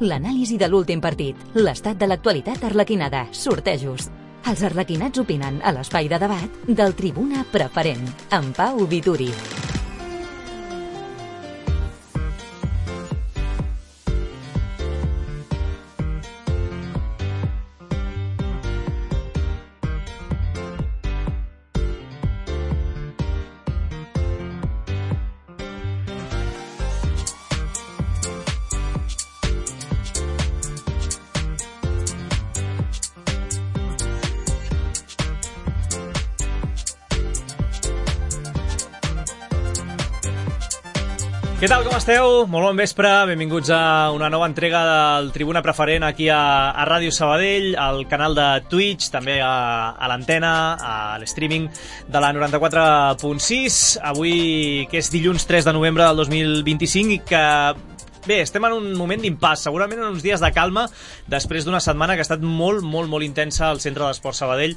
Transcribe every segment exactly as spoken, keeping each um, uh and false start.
l'anàlisi de l'últim partit, l'estat de l'actualitat arlequinada, sortejos. Els arlequinats opinen a l'espai de debat del Tribuna Preferent, amb Pau Vituri. Què tal, com esteu? Molt bon vespre, benvinguts a una nova entrega del Tribuna Preferent aquí a, a Ràdio Sabadell, al canal de Twitch, també a, a l'antena, a l'streaming de la noranta-quatre punt sis. Avui, que és dilluns tres de novembre del dos mil vint-i-cinc, i que... Bé, estem en un moment d'impàs, segurament en uns dies de calma, després d'una setmana que ha estat molt, molt, molt intensa al Centre d'Esport Sabadell,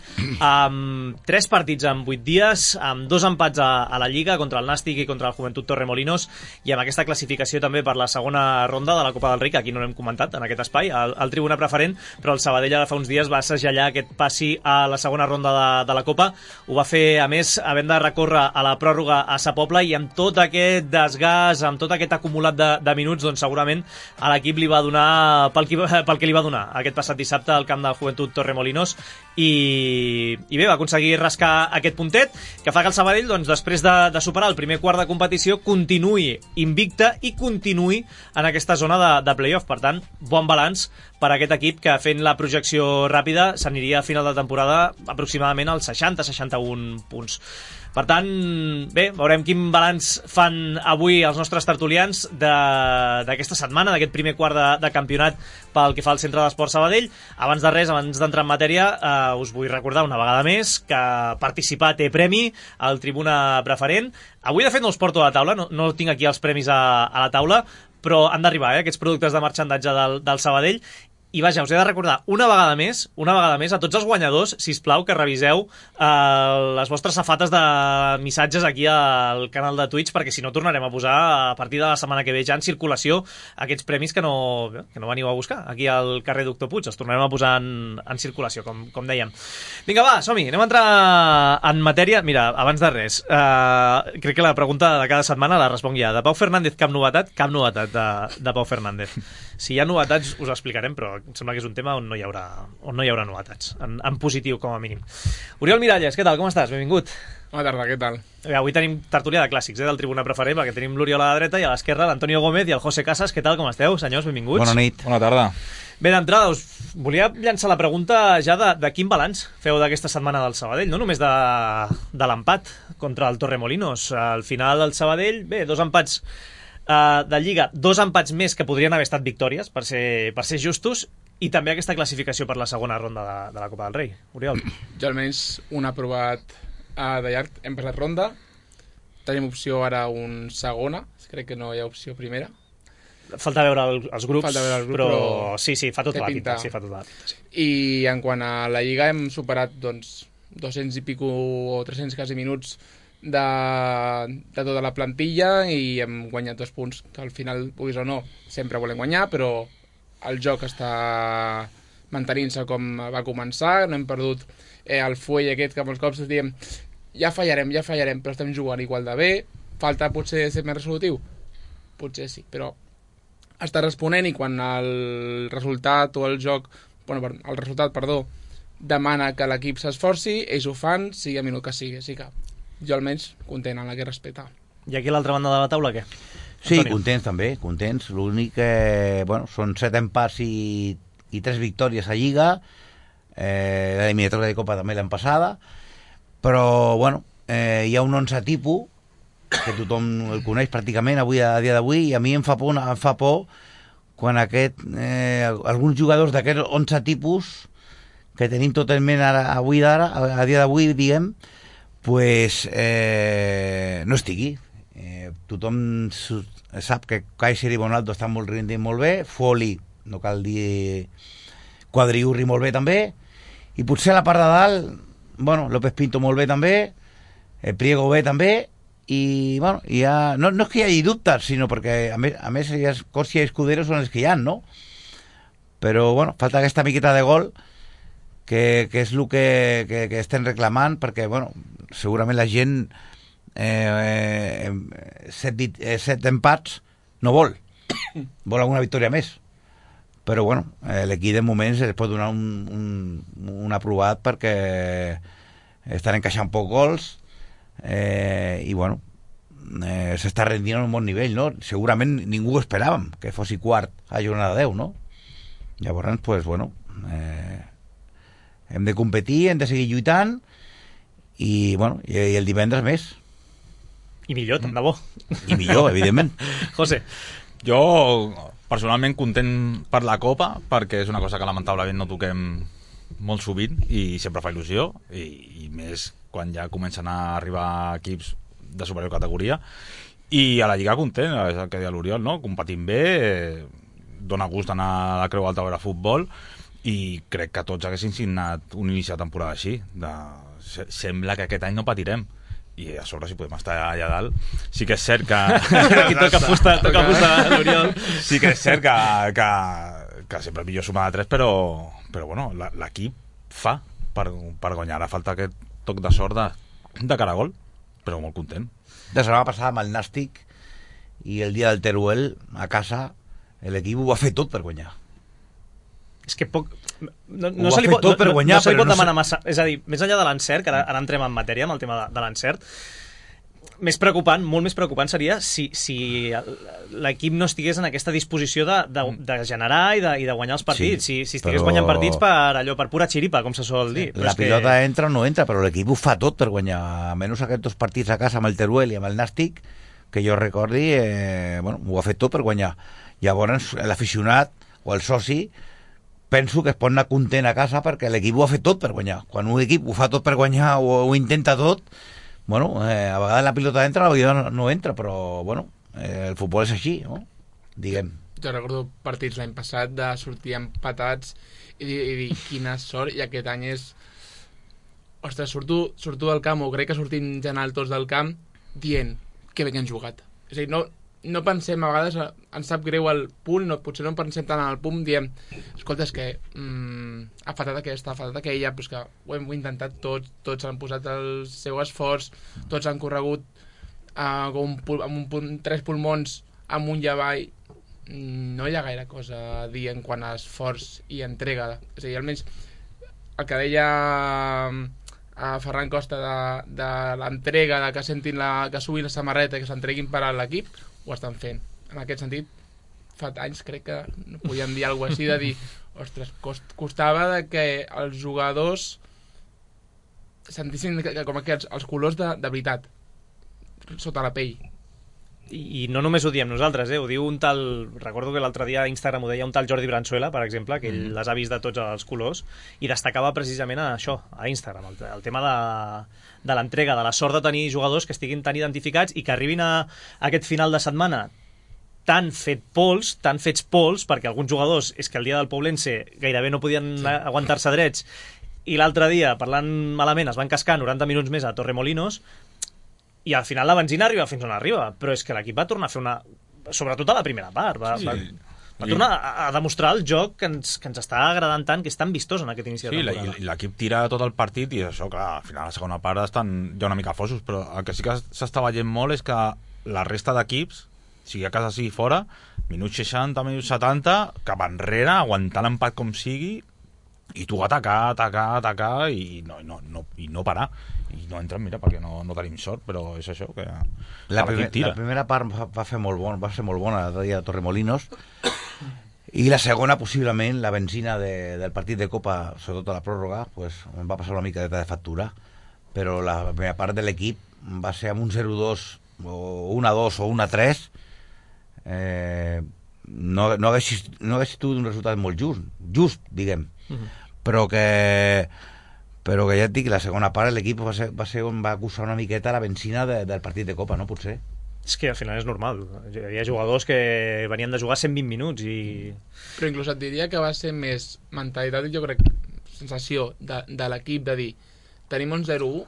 amb tres partits en vuit dies, amb dos empats a, a la Lliga, contra el Nàstic i contra el Joventut Torremolinos, i amb aquesta classificació també per la segona ronda de la Copa del Rei, que aquí no l'hem comentat en aquest espai, al, al Tribuna Preferent, però el Sabadell ara fa uns dies va segellar aquest passi a la segona ronda de, de la Copa. Ho va fer, a més, havent de recórrer a la pròrroga a Sa Pobla, i amb tot aquest desgast, amb tot aquest acumulat de, de minuts, doncs segurament a l'equip li va donar pel que, pel que li va donar aquest passat dissabte al camp del Joventut Torremolinos, i, i bé, va aconseguir rascar aquest puntet que fa que el Sabadell, doncs, després de, de superar el primer quart de competició, continuï invicte i continuï en aquesta zona de, de play-off. Per tant, bon balanç per a aquest equip que, fent la projecció ràpida, s'aniria a final de temporada aproximadament als seixanta seixanta-un punts. Per tant, bé, veurem quin balanç fan avui els nostres tertulians d'aquesta setmana, d'aquest primer quart de, de campionat pel que fa al Centre d'Esport Sabadell. Abans de res, abans d'entrar en matèria, eh, us vull recordar una vegada més que participar té premi al Tribuna Preferent. Avui, de fet, no els porto a la taula, no, no tinc aquí els premis a, a la taula, però han d'arribar, eh, aquests productes de marxandatge del, del Sabadell. I vaja, us he de recordar una vegada més, una vegada més, a tots els guanyadors, sisplau, que reviseu eh, les vostres safates de missatges aquí al canal de Twitch, perquè si no tornarem a posar a partir de la setmana que ve ja en circulació aquests premis que no, que no veniu a buscar aquí al carrer Doctor Puig. Els tornarem a posar en, en circulació, com, com dèiem. Vinga, va, som-hi, anem a entrar en matèria. Mira, abans de res, eh, crec que la pregunta de cada setmana la responc ja. De Pau Fernández, cap novetat? Cap novetat de, de Pau Fernández. Si hi ha novetats, us ho explicarem, però em sembla que és un tema on no hi haurà, on no hi haurà novetats, en, en positiu, com a mínim. Oriol Miralles, què tal, com estàs? Benvingut. Bona tarda, què tal? Bé, avui tenim tertúlia de clàssics, eh, del Tribuna Preferent, perquè tenim l'Oriol a la dreta i a l'esquerra l'Antonio Gómez i el José Casas. Què tal, com esteu, senyors? Benvinguts. Bona nit. Bona tarda. Bé, d'entrada, us volia llançar la pregunta ja de, de quin balanç feu d'aquesta setmana del Sabadell, no només de, de l'empat contra el Torremolinos. Al final, el Sabadell, bé, dos empats Uh, de Lliga, dos empats més que podrien haver estat victòries, per ser, per ser justos, i també aquesta classificació per la segona ronda de, de la Copa del Rei. Oriol. Jo almenys un aprovat uh, de llarg. Hem passat ronda. Tenim opció ara un segona. Crec que no hi ha opció primera. Falta veure el, els grups, Falta veure els grups, però... però sí, sí, fa tota la pinta. pinta. Sí, fa tota la pinta, sí. I en quant a la Lliga hem superat doncs, dos-cents i pico o tres-cents quasi minuts de, de tota la plantilla, i hem guanyat dos punts que al final, puguis o no, sempre volem guanyar, però el joc està mantenint-se com va començar. No hem perdut eh, el fuell aquest que molts cops diem ja fallarem, ja fallarem, però estem jugant igual de bé. Falta potser ser més resolutiu? Potser sí, però està responent, i quan el resultat o el joc, bueno, el resultat, perdó, demana que l'equip s'esforci, ells ho fan, sigui a minut que sigui. Així que jo almenys content en la que respecta. I aquí a l'altra banda de la taula, què? Sí, Antonio. contents també, contents. L'únic que, bueno, són set empats i, i tres victòries a Lliga. Eh, l'eliminatòria de Copa també l'any passada. Però, bueno, eh, hi ha un onze tipus que tothom el coneix pràcticament avui a dia d'avui, i a mi em fa por, em fa por quan aquest, eh, alguns jugadors d'aquests onze tipus que tenim tot en ment ara, avui d'ara, a dia d'avui, diguem, pues, eh, no estigui. Eh, tothom sap que Kaiser i Bonaldo estan molt rendint molt bé, Foli, no cal dir, Quadriurri molt bé també, i potser a la part de dalt, bueno, López Pinto molt bé també, eh, Priego bé també, i bueno, ja, no, no és que hi hagi dubtes, sinó perquè a més, a més Corsia i Escudero són els que hi ha, no? però bueno, falta aquesta miqueta de gol que, que és el que, que, que estem reclamant, perquè bueno, segurament la gent eh, eh, set, eh, set empats no vol, vol alguna victòria més, però bueno, eh, l'equip de moments es pot donar un, un, un aprovat perquè estan encaixant poc gols eh, i bueno, eh, s'està rendint a un bon nivell, no? Segurament ningú ho esperàvem que fossi quart a jornada deu, no? Llavors, pues, bueno, eh, hem de competir, hem de seguir lluitant i, bueno, i, i el divendres més. I millor, tant de bo. I millor, evidentment. José. Jo, personalment, content per la Copa, perquè és una cosa que lamentablement no toquem molt sovint i sempre fa il·lusió, i, i més quan ja comencen a arribar equips de superior categoria. I a la Lliga content, és el que deia l'Oriol, no? Competint bé, eh, dona gust anar a la Creu Alta a veure futbol, i crec que tots haguessin signat un inici de temporada així. De... Sembla que aquest any no patirem. I a sobre, si podem estar allà dalt, sí que és cert que... Aquí toca fusta, toca fusta, l'Oriol. Sí que és cert que, que, que sempre millor sumar de tres, però, però bueno, l'equip fa per, per guanyar. Ara falta aquest toc de sort de, de caragol, però molt content. La setmana passada amb el Nàstic i el dia del Teruel a casa, l'equip ho va fer tot per guanyar. És que poc... No, Ho no ha se li fet pot, tot per no, guanyar, no se li però pot no demanar se- massa... És a dir, més enllà de l'encert, que ara, ara entrem en matèria amb el tema de, de l'encert, més preocupant, molt més preocupant seria si, si l'equip no estigués en aquesta disposició de, de, de generar i de, i de guanyar els partits. Sí, si, si estigués però- guanyant partits per allò, per pura xiripa, com se sol dir. Però La és pilota que... entra o no entra, però l'equip ho fa tot per guanyar. Almenys aquests dos partits a casa amb el Teruel i amb el Nàstic, que jo recordi, eh, bueno, ho ha fet tot per guanyar. Llavors, l'aficionat o el soci penso que es pot anar content a casa perquè l'equip ho ha fet tot per guanyar. Quan un equip ho fa tot per guanyar o ho intenta tot, bueno, eh, a vegades la pilota entra, a vegades no, no entra, però bueno, eh, el futbol és així, no? Diguem. Jo recordo partits l'any passat de sortir empatats i dir, i dir quina sort, i aquest any és... Ostres, surto, surto del camp, o crec que sortim en general tots del camp, dient que bé que han jugat. És a dir, no, no pensem, a vegades ens sap greu el punt, no, potser no pensem tant en el punt, diem, escolta, és que mm, ha faltat aquesta, ha faltat aquella, però és que ho hem intentat tots, tots han posat el seu esforç, tots han corregut uh, amb, un, pul- amb un punt, tres pulmons amunt i avall. No hi ha gaire cosa a dir en quant a esforç i entrega. És a dir, almenys el que deia a Ferran Costa de, de l'entrega, de que sentin la, que subin la samarreta, que s'entreguin per a l'equip, ho estan fent. En aquest sentit, fa anys crec que no podíem dir alguna cosa així, de dir, ostres, cost, costava de que els jugadors sentissin que, que, com que els, els colors de, de veritat sota la pell. I, I no només ho diem nosaltres, eh? Ho diu un tal... Recordo que l'altre dia a Instagram ho deia un tal Jordi Branzuela, per exemple, que ell mm. les ha vist de tots els colors, i destacava precisament a això, a Instagram, el, el tema de, de l'entrega, de la sort de tenir jugadors que estiguin tan identificats i que arribin a, a aquest final de setmana tan fet pols, tan fets pols, perquè alguns jugadors, és que el dia del Poblense gairebé no podien sí. aguantar-se drets, i l'altre dia, parlant malament, es van cascar noranta minuts més a Torremolinos, i al final la benzina arriba fins on arriba, però és que l'equip va tornar a fer una... Sobretot a la primera part, va, sí. va, va tornar a, a demostrar el joc que ens, que ens està agradant tant, que és tan vistós en aquest inici de sí, temporada. Sí, l'equip tira tot el partit i això, clar, al final la segona part estan ja una mica fosos, però el que sí que s'està veient molt és que la resta d'equips, sigui a casa sigui fora, minuts seixanta, minuts setanta, cap enrere, aguantar l'empat com sigui, i tu atacar, atacar, atacar i no, no, no, i no parar. I no entren, mira, perquè no, no tenim sort, però és això, que la, primer, la primera part va, va fer molt bon, va ser molt bona l'altre dia a Torremolinos, i la segona, possiblement, la benzina de, del partit de Copa, sobretot a la pròrroga, pues, em va passar una mica de factura, però la primera part de l'equip va ser amb un zero dos o un a dos o un a tres, eh, no, no hagués no hagués tingut un resultat molt just, just, diguem, uh-huh. però que però que ja et dic, la segona part l'equip va ser, va ser on va acusar una miqueta la benzina de, del partit de Copa, no? Potser. És que al final és normal. Hi havia jugadors que venien de jugar cent vint minuts i... Però inclús et diria que va ser més mentalitat, jo crec, sensació de, de l'equip de dir, tenim un zero u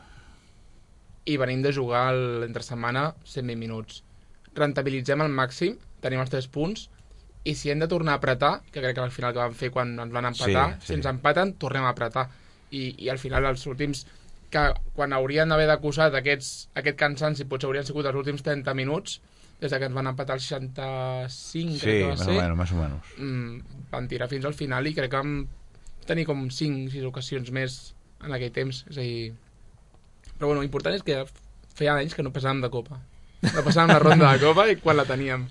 i venim de jugar l'entre setmana cent vint minuts. Rentabilitzem al màxim, tenim els tres punts i si hem de tornar a apretar, que crec que al final que vam fer quan ens van empatar, Sí, sí. si ens empaten, tornem a apretar. I, i al final els últims, que quan haurien d'haver d'acusat aquests, aquest cansanci, potser haurien sigut els últims trenta minuts, des que ens van empatar el seixanta-cinc, Sí, crec que va més o ser, menos, més o menos. mm, van tirar fins al final i crec que vam tenir com cinc o sis ocasions més en aquell temps. És a dir... Però bueno, l'important és que feia anys que no passàvem de Copa. No passàvem la ronda de Copa i quan la teníem.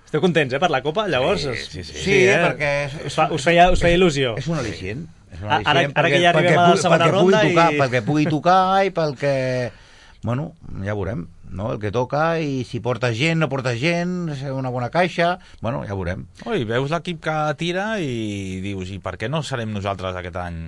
Esteu contents, eh, per la Copa, llavors? Sí, sí, sí. Sí, eh? perquè... És, Us, fa, us, feia, us feia il·lusió. És un al·licient. És un Ara- al·licient ara que perquè- ja arribem perquè a la pugui- segona perquè pugui ronda tocar, i- Perquè pugui tocar i pel que... Bueno, ja veurem, no? El que toca i si porta gent, no porta gent, si una bona caixa... Bueno, ja veurem. Oi, veus l'equip que tira i dius, i per què no serem nosaltres aquest any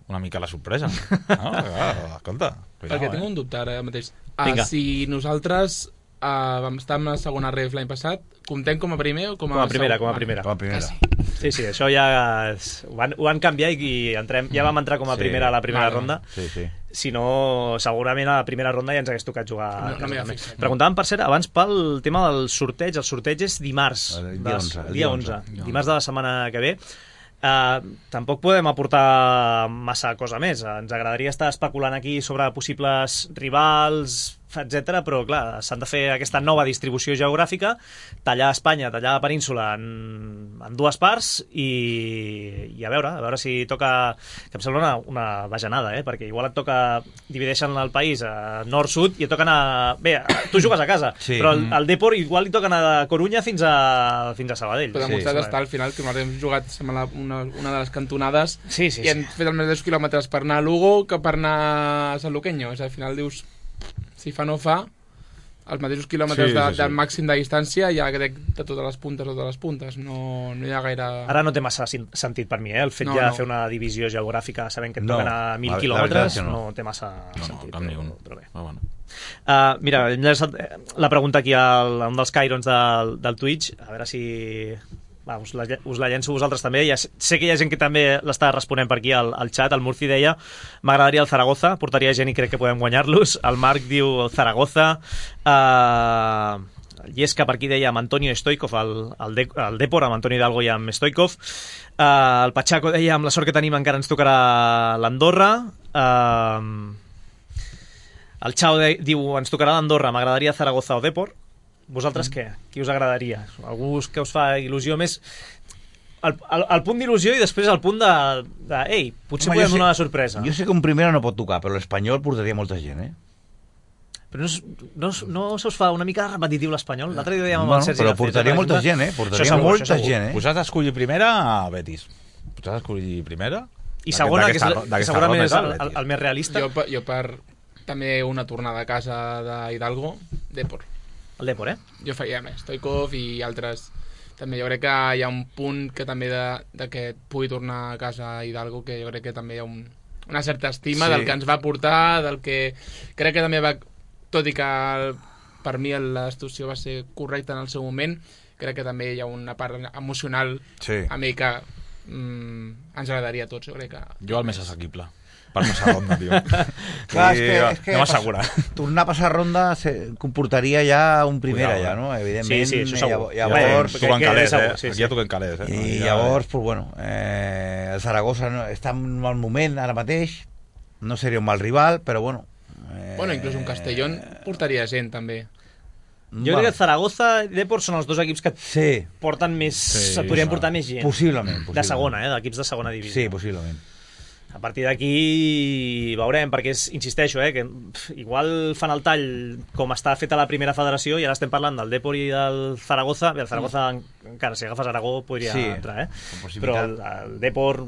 una mica la sorpresa? No, clar, escolta. Cuidao, Perquè eh? tinc un dubte ara mateix. Vinga. Uh, si nosaltres uh, vam estar en la segona ref l'any passat, comptem com a primer o com a, Com a primera, segon? com a Vale. primera. Com a primera. Ah, sí. Sí, sí, això ja és... ho, van, ho van canviar i entrem, ja vam entrar com a Sí. primera a la primera Vale. ronda. Sí, sí. Si no, segurament a la primera ronda ja ens hagués tocat jugar. No- no a casa m'hi ha també. fixat. Preguntàvem, per cert, abans pel tema del sorteig. El sorteig és dimarts. El dia de- onze, el dia dia onze. onze. Dimarts de la setmana que ve. Uh, tampoc podem aportar massa cosa més. Ens agradaria estar especulant aquí sobre possibles rivals, etcètera, però clar, s'han de fer aquesta nova distribució geogràfica, tallar Espanya, tallar la península en, en dues parts i, i a veure, a veure si toca, que em sembla una, una bajanada, eh? Perquè igual et toca, divideixen el país a nord-sud i et toca anar... Bé, tu jugues a casa, Sí. però el, el Depor igual li toca anar de Corunya fins a, fins a Sabadell. Però demostrat Sí. està al final que nosaltres hem jugat sembla, una, una de les cantonades Sí, sí, i hem fet els mateixos quilòmetres per anar a Lugo que per anar a Sant Luqueño. És, al final dius, si fa no fa, els mateixos quilòmetres Sí, de, sí, sí. del màxim de distància ja crec de totes les puntes o de les puntes. No, no hi ha gaire... Ara no té massa sin- sentit per mi, eh? El fet No, ja no. de fer una divisió geogràfica sabent que et No, toquen a mil la- la quilòmetres veritat és que no. no. té massa No, no, sentit. cap ni un. Però, però bé. Però bueno. Uh, mira, hem llançat eh, la pregunta aquí al, a un dels Cairons del, del Twitch, a veure si... Va, us, la, us la llenço vosaltres també. Ja sé, sé que hi ha gent que també l'està responent per aquí al, al xat. El Murci deia, m'agradaria el Zaragoza, portaria gent i crec que podem guanyar-los. El Marc diu el Zaragoza. Uh, el Llesca per aquí deia amb Antonio Stoikov, el, el, de, el Depor, amb Antonio Hidalgo i amb Stoikov. Uh, el Pachaco deia, amb la sort que tenim encara ens tocarà l'Andorra. Uh, el Chao de, diu, ens tocarà l'Andorra, m'agradaria Zaragoza o Depor. Vosaltres què? Qui us agradaria? Algú que us fa il·lusió més? El, el, el punt d'il·lusió i després el punt de... de ei, potser Home, podem jo sé- donar una sorpresa. Jo sé que un primera no pot tocar, però l'Espanyol portaria molta gent, eh? Però no, us- no, us- no se us fa una mica repetitiu l'Espanyol? L'altre dia dèiem amb Bueno, el Sergi però Garcés, portaria per molta exemple. gent, eh? Això Portaria segur, molta això segur. gent, eh? Pues has d'escollir primera a Betis. Pues has d'escollir primera. I segona, que, és, D'aquesta- la- que d'aquesta segurament ronda és és el, el el, el més realista. Jo, per- jo per també una tornada a casa d'Hidalgo, Depor. El Depor, eh? Jo faria més, Stoikov i altres. També jo crec que hi ha un punt que també de, de que pugui tornar a casa a Hidalgo, que jo crec que també hi ha un, una certa estima Sí. del que ens va portar, del que crec que també va, tot i que el, per mi la situació va ser correcta en el seu moment, crec que també hi ha una part emocional Sí. a mi que mm, ens agradaria a tots, jo crec que... Jo el més assequible. Per passar ronda, tio. Clar, és Sí, que, és que anem a assegurar. tornar a passar ronda se, comportaria ja un primera, Cuidao, ja, eh? no? Evidentment, Sí, sí, això segur. llav- llavors, Bé, Toquen que- que calés, segur, eh? sí, sí. Aquí ja toquen calés, eh? i Ja- llavors, pues, bueno, eh, el Zaragoza no, està en un mal moment ara mateix, no seria un mal rival, però bueno... Eh, Bueno, inclús un Castellón portaria gent, també. Jo crec que Zaragoza i Depor són els dos equips que Sí, porten més... Sí, Sí, podrien sí. portar més gent. possiblement, possiblement. De segona, eh? D'equips de segona divisió. Sí, possiblement. A partir d'aquí veurem, perquè és, insisteixo, eh, que pff, igual fan el tall com està feta la primera federació i ara estem parlant del Depor i del Zaragoza. Bé, el Zaragoza, mm. encara, si agafes Aragó, podria Sí, entrar, eh? amb Però possibilitat. el, el Depor,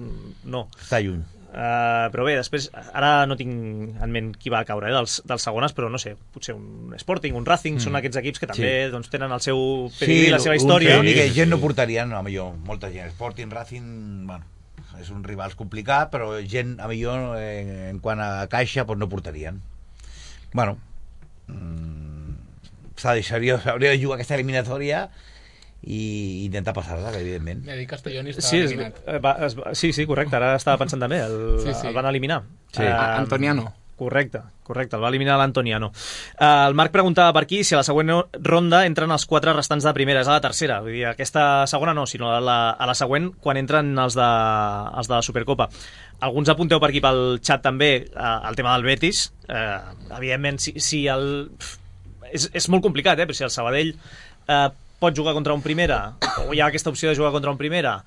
no. Està lluny. Uh, però bé, després, ara no tinc en ment qui va caure, eh, dels, dels segones, però no sé, potser un Sporting, un Racing, mm. són aquests equips que també Sí. doncs, tenen el seu pedigrí, la seva un- història. L'únic que Sí, gent sí. no portarien, no, a millor, molta gent. Sporting, Racing, bueno, és un rival complicat, però gent, a millor, eh, en quant a caixa, pues no portarien. Bueno, mm, s'ha de, s'hauria, s'hauria de jugar aquesta eliminatòria i intentar passar-la, evidentment. Ja dic, Castellón està Sí, es, eliminat. eh, va, es, va- sí, sí, correcte, ara estava pensant també, el, Sí, sí. el van eliminar. Sí. Eh, A- Antoniano. Correcte, correcte, el va eliminar l'Antoniano. Uh, el Marc preguntava per aquí si a la següent ronda entren els quatre restants de primera, és a la tercera, vull dir, aquesta segona no, sinó a la, a la següent quan entren els de, els de la Supercopa. Alguns apunteu per aquí pel xat també uh, el tema del Betis, uh, evidentment si, si el... És, és molt complicat, eh, però si el Sabadell uh, pot jugar contra un primera, o hi ha aquesta opció de jugar contra un primera,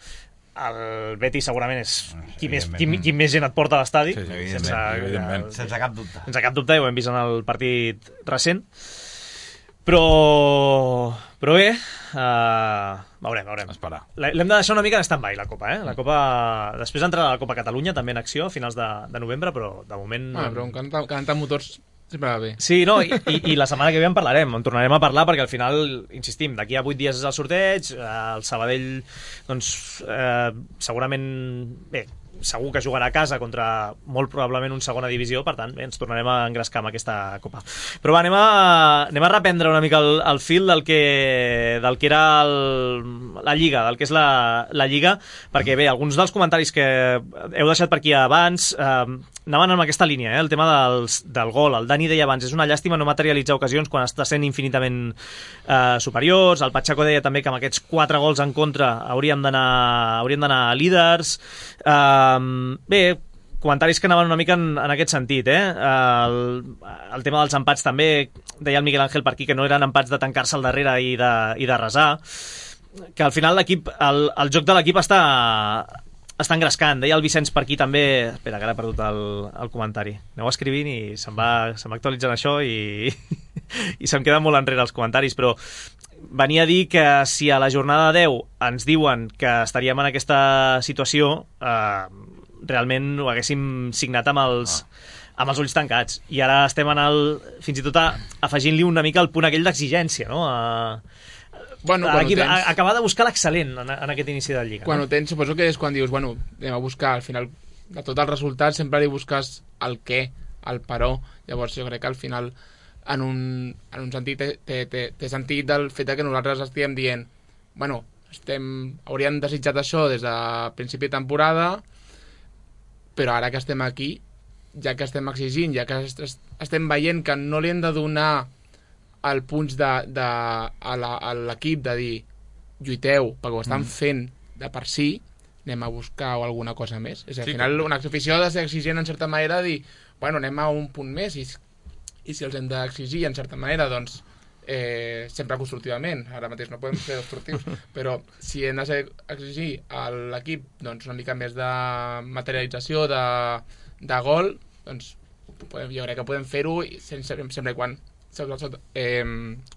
el Betis segurament és qui més, qui, qui més gent et porta a l'estadi, sí, sí, sense, evidentment. Sense cap dubte. sense cap dubte, i ho hem vist en el partit recent, però però bé, uh, veurem, veurem. Esperar. L'hem de deixar una mica en stand-by, la Copa, eh? La Copa... Després entrarà la Copa Catalunya, també en acció, a finals de, de novembre, però de moment... Ah, però un canta, canta motors sempre va bé. Sí, no, i, i, i la setmana que ve en parlarem, en tornarem a parlar, perquè al final, insistim, d'aquí a vuit dies és el sorteig, el Sabadell, doncs, eh, segurament, bé, segur que jugarà a casa contra molt probablement un segona divisió, per tant, bé, ens tornarem a engrescar amb aquesta Copa. Però va, anem a, anem a reprendre una mica el, el fil del que, del que era el, la Lliga, del que és la, la Lliga, perquè bé, alguns dels comentaris que heu deixat per aquí abans eh, anaven en aquesta línia, eh, el tema dels, del gol. El Dani deia abans, és una llàstima no materialitzar ocasions quan està sent infinitament eh, superiors. El Pacheco deia també que amb aquests quatre gols en contra hauríem d'anar hauríem d'anar líders. Um, bé, comentaris que anaven una mica en, en aquest sentit, eh? El, el tema dels empats també, deia el Miguel Ángel per aquí que no eren empats de tancar-se al darrere i de, i de resar, que al final l'equip, el, el joc de l'equip està està engrescant. Deia el Vicenç per aquí també, espera que ara he perdut el, el comentari, aneu escrivint i se'm va, se'm va actualitzant això i, i se'm queden molt enrere els comentaris, però venia a dir que si a la jornada deu ens diuen que estaríem en aquesta situació, eh, realment ho haguéssim signat amb els, amb els ulls tancats. I ara estem en el, fins i tot a, afegint-li una mica el punt aquell d'exigència, no? A, bueno, a, aquí, tens... a, acabar de buscar l'excel·lent en, en aquest inici de Lliga. Quan no? ho tens, suposo que és quan dius, bueno, anem a buscar, al final, de tot el resultat, sempre li busques el què, el però. Llavors jo crec que al final, en un, en un sentit, té, té, té, té sentit del fet que nosaltres estiguem dient, bueno, estem, hauríem desitjat això des de principi de temporada, però ara que estem aquí, ja que estem exigint, ja que est estem veient que no li hem de donar el punts de, de, a l'equip de dir lluiteu, perquè ho estan mm. fent de per si, anem a buscar alguna cosa més. És a dir, sí, al final, una afició ha de ser exigent en certa manera, de dir, bueno, anem a un punt més, i, i si els hem d'exigir en certa manera, doncs eh, sempre constructivament, ara mateix no podem ser destructius, però si hem de ser, exigir a l'equip doncs, una mica més de materialització de, de gol, doncs podem, jo crec que podem fer-ho sempre, sempre i quan sota, sota, eh,